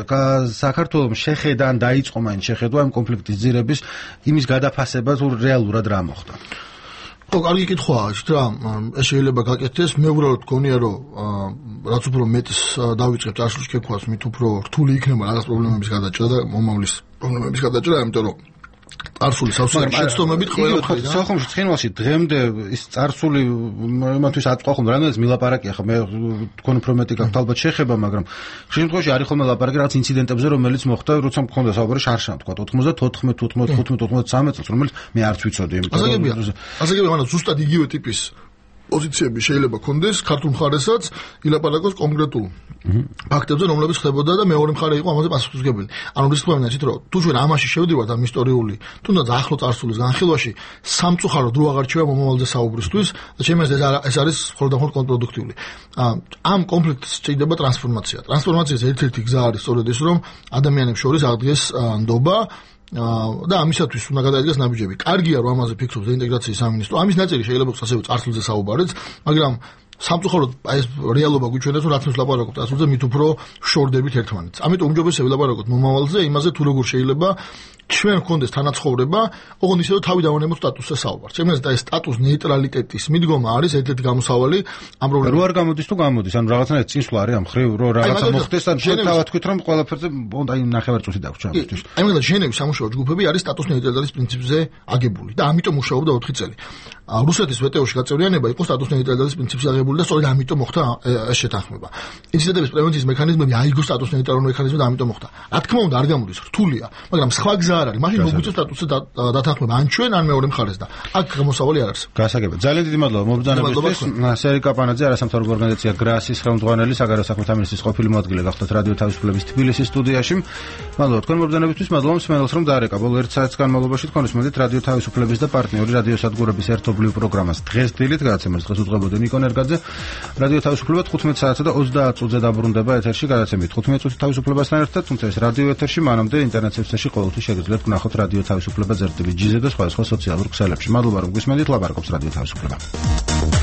Speaker 1: საქართველოს შეხედა ან დაიწყო მაინც შეხედვა ამ კონფლიქტის ძირების იმის გადაფასება თუ რეალურად რა მოხდა.
Speaker 11: ხო, კარგი კითხვაა, იცით რა, ეს შეიძლება გაკეთდეს, მე უბრალოდ გქონია რომ რაც უფრო მეტს დავიწყებ წარსულში შეკვას, მით უფრო რთული იქნება რაღაც პრობლემების გადაჭრა და მომავლის პრობლემების გადაჭრა, იმიტომ რომ წარსული სავსე შეცდომებით ყველა ხდება.
Speaker 1: სოხუმში ცხინვალში დღემდე ის წარსული იმათვის აწყვა ხომ რამდენიც მილაპარაკია ხა მე თქვენ უფრო მეტი გაქვთ ალბათ შეხება მაგრამ ხშირ შემთხვევაში არის ხოლმე ლაპარაკი რაღაც ინციდენტებზე რომელიც მოხდა როცა მქონდა საუბარი შარშან თქვა ოთხმოცდათოთხმეტ თხუთმეტ თხუთმეტ ოცდაათი წელს რომელიც მე არც ვიცოდი
Speaker 11: იმიტომ რომ ასაგებია ანუ ზუსტად იგივე ტიპის პოზიციები შეიძლება კონდეს ქართულ მხარესაც ილაპარაკოს კონკრეტულ ფაქტებზე, რომლებიც ხდებოდა და მეორე მხარე იყო ამაზე პასუხისმგებელი. ანუ ის თქვენ ისეთ რომ თუ ჩვენ ამაში შევდივართ ამ ისტორიული, თუნდაც ახლო წარსულის განხილვაში, სამწუხარო დრო აღარ რჩება მომავალზე საუბრისთვის და ჩემს ეს ეს არის მხოლოდ და მხოლოდ კონტრპროდუქტიული. ამ კონფლიქტს სჭირდება ტრანსფორმაცია. ტრანსფორმაციის ერთ-ერთი გზა არის სწორედ ის, რომ ადამიანებს შორის აღდგეს ნდობა და ამისათვის უნდა გადაიდგეს ნაბიჯები. კარგია რომ ამაზე ფიქრობს რეინტეგრაციის სამინისტრო. ამის ნაწილი შეიძლება იყოს ასევე წარსულზე საუბარიც, მაგრამ სამწუხაროდ აი ეს რეალობა გვიჩვენებს რომ რაც mēs ლაპარაკობთ წარსულზე მით უფრო შორდებით ერთმანეთს. ამიტომ უმჯობესია ვილაპარაკოთ მომავალზე, იმაზე თუ როგორ შეიძლება ჩვენ გქონდეს თანაცხოვრება, ოღონდ ისე რომ თავი დავანებოთ სტატუსზე საუბარს. ჩემს და ეს სტატუს ნეიტრალიტეტის მიდგომა არის ერთ-ერთი გამოსავალი ამ პრობლემის.
Speaker 1: რო არ გამოდის თუ გამოდის, ანუ რაღაცნაირად წინსვლა არის ამ ხრივ, რომ რაღაცა მოხდეს, ან ჩვენ თავად თქვით რომ ყველაფერზე აი ნახევარწუთი დაგვჭირდა ამისთვის.
Speaker 11: აი მე და ჟენევის სამუშაო ჯგუფები არის სტატუს ნეიტრალიტეტის პრინციპზე აგებული და ამიტომ მუშაობდა ოთხი წელი. რუსეთის ვეტოში გაწევრიანება იყო სტატუს ნეიტრალიტეტის პრინციპზე აგებული და სწორედ ამიტომ მოხდა ეს შეთანხმება. ინციდენტების პრევენციის მექანიზმები აიგო სტატუს ნეიტრალური მექანიზმი და ამიტომ მოხდა. რა თქმა უნდა არ გამოდის რთულია, მაგრამ სხვა გზა არ არის. მაშინ მოგვიწევს სტატუსზე დათანხმება ან ჩვენ ან მეორე მხარეს და აქ გამოსავალი არ არის.
Speaker 1: გასაგებია. ძალიან დიდი მადლობა მობრძანებისთვის. სერი კაპანაძე, არასამთავრობო ორგანიზაცია გრასის ხელმძღვანელი, საგარეო საქმეთა მინისტრის ყოფილი მოადგილე გახდათ რადიო თავისუფლების თბილისის სტუდიაში. მადლობა თქვენ მობრძანებისთვის, მადლობა მსმენელს რომ დაარეკა. ბოლო ერთ საათის განმავლობაში თქვენ უსმენთ რადიო თავისუფლების და პარტნიორი რადიოსადგურების ერთობლივ პროგრამას დღეს დილით გადაცემას დღეს უძღვებოდი ნიკო ნერგაძე. რადიო თავისუფლება თხუთმეტ საათსა და ოცდაათ წუთზე დაბრუნდება ეთერში გადაცემით თხუთმეტ წუთი თავისუფლებასთან ერთად, თუმცა ეს რადიო ეთერში მანამდე ინტერნეტ სივრცეში ყოველთვის შეგიძლიათ ვნახოთ რადიო თავისუფლება ზერ ტი ვი ჯიზე და სხვა სხვა სოციალურ ქსელებში. მადლობა რომ გვისმენთ, ლაპარაკობს რადიო თავისუფლება.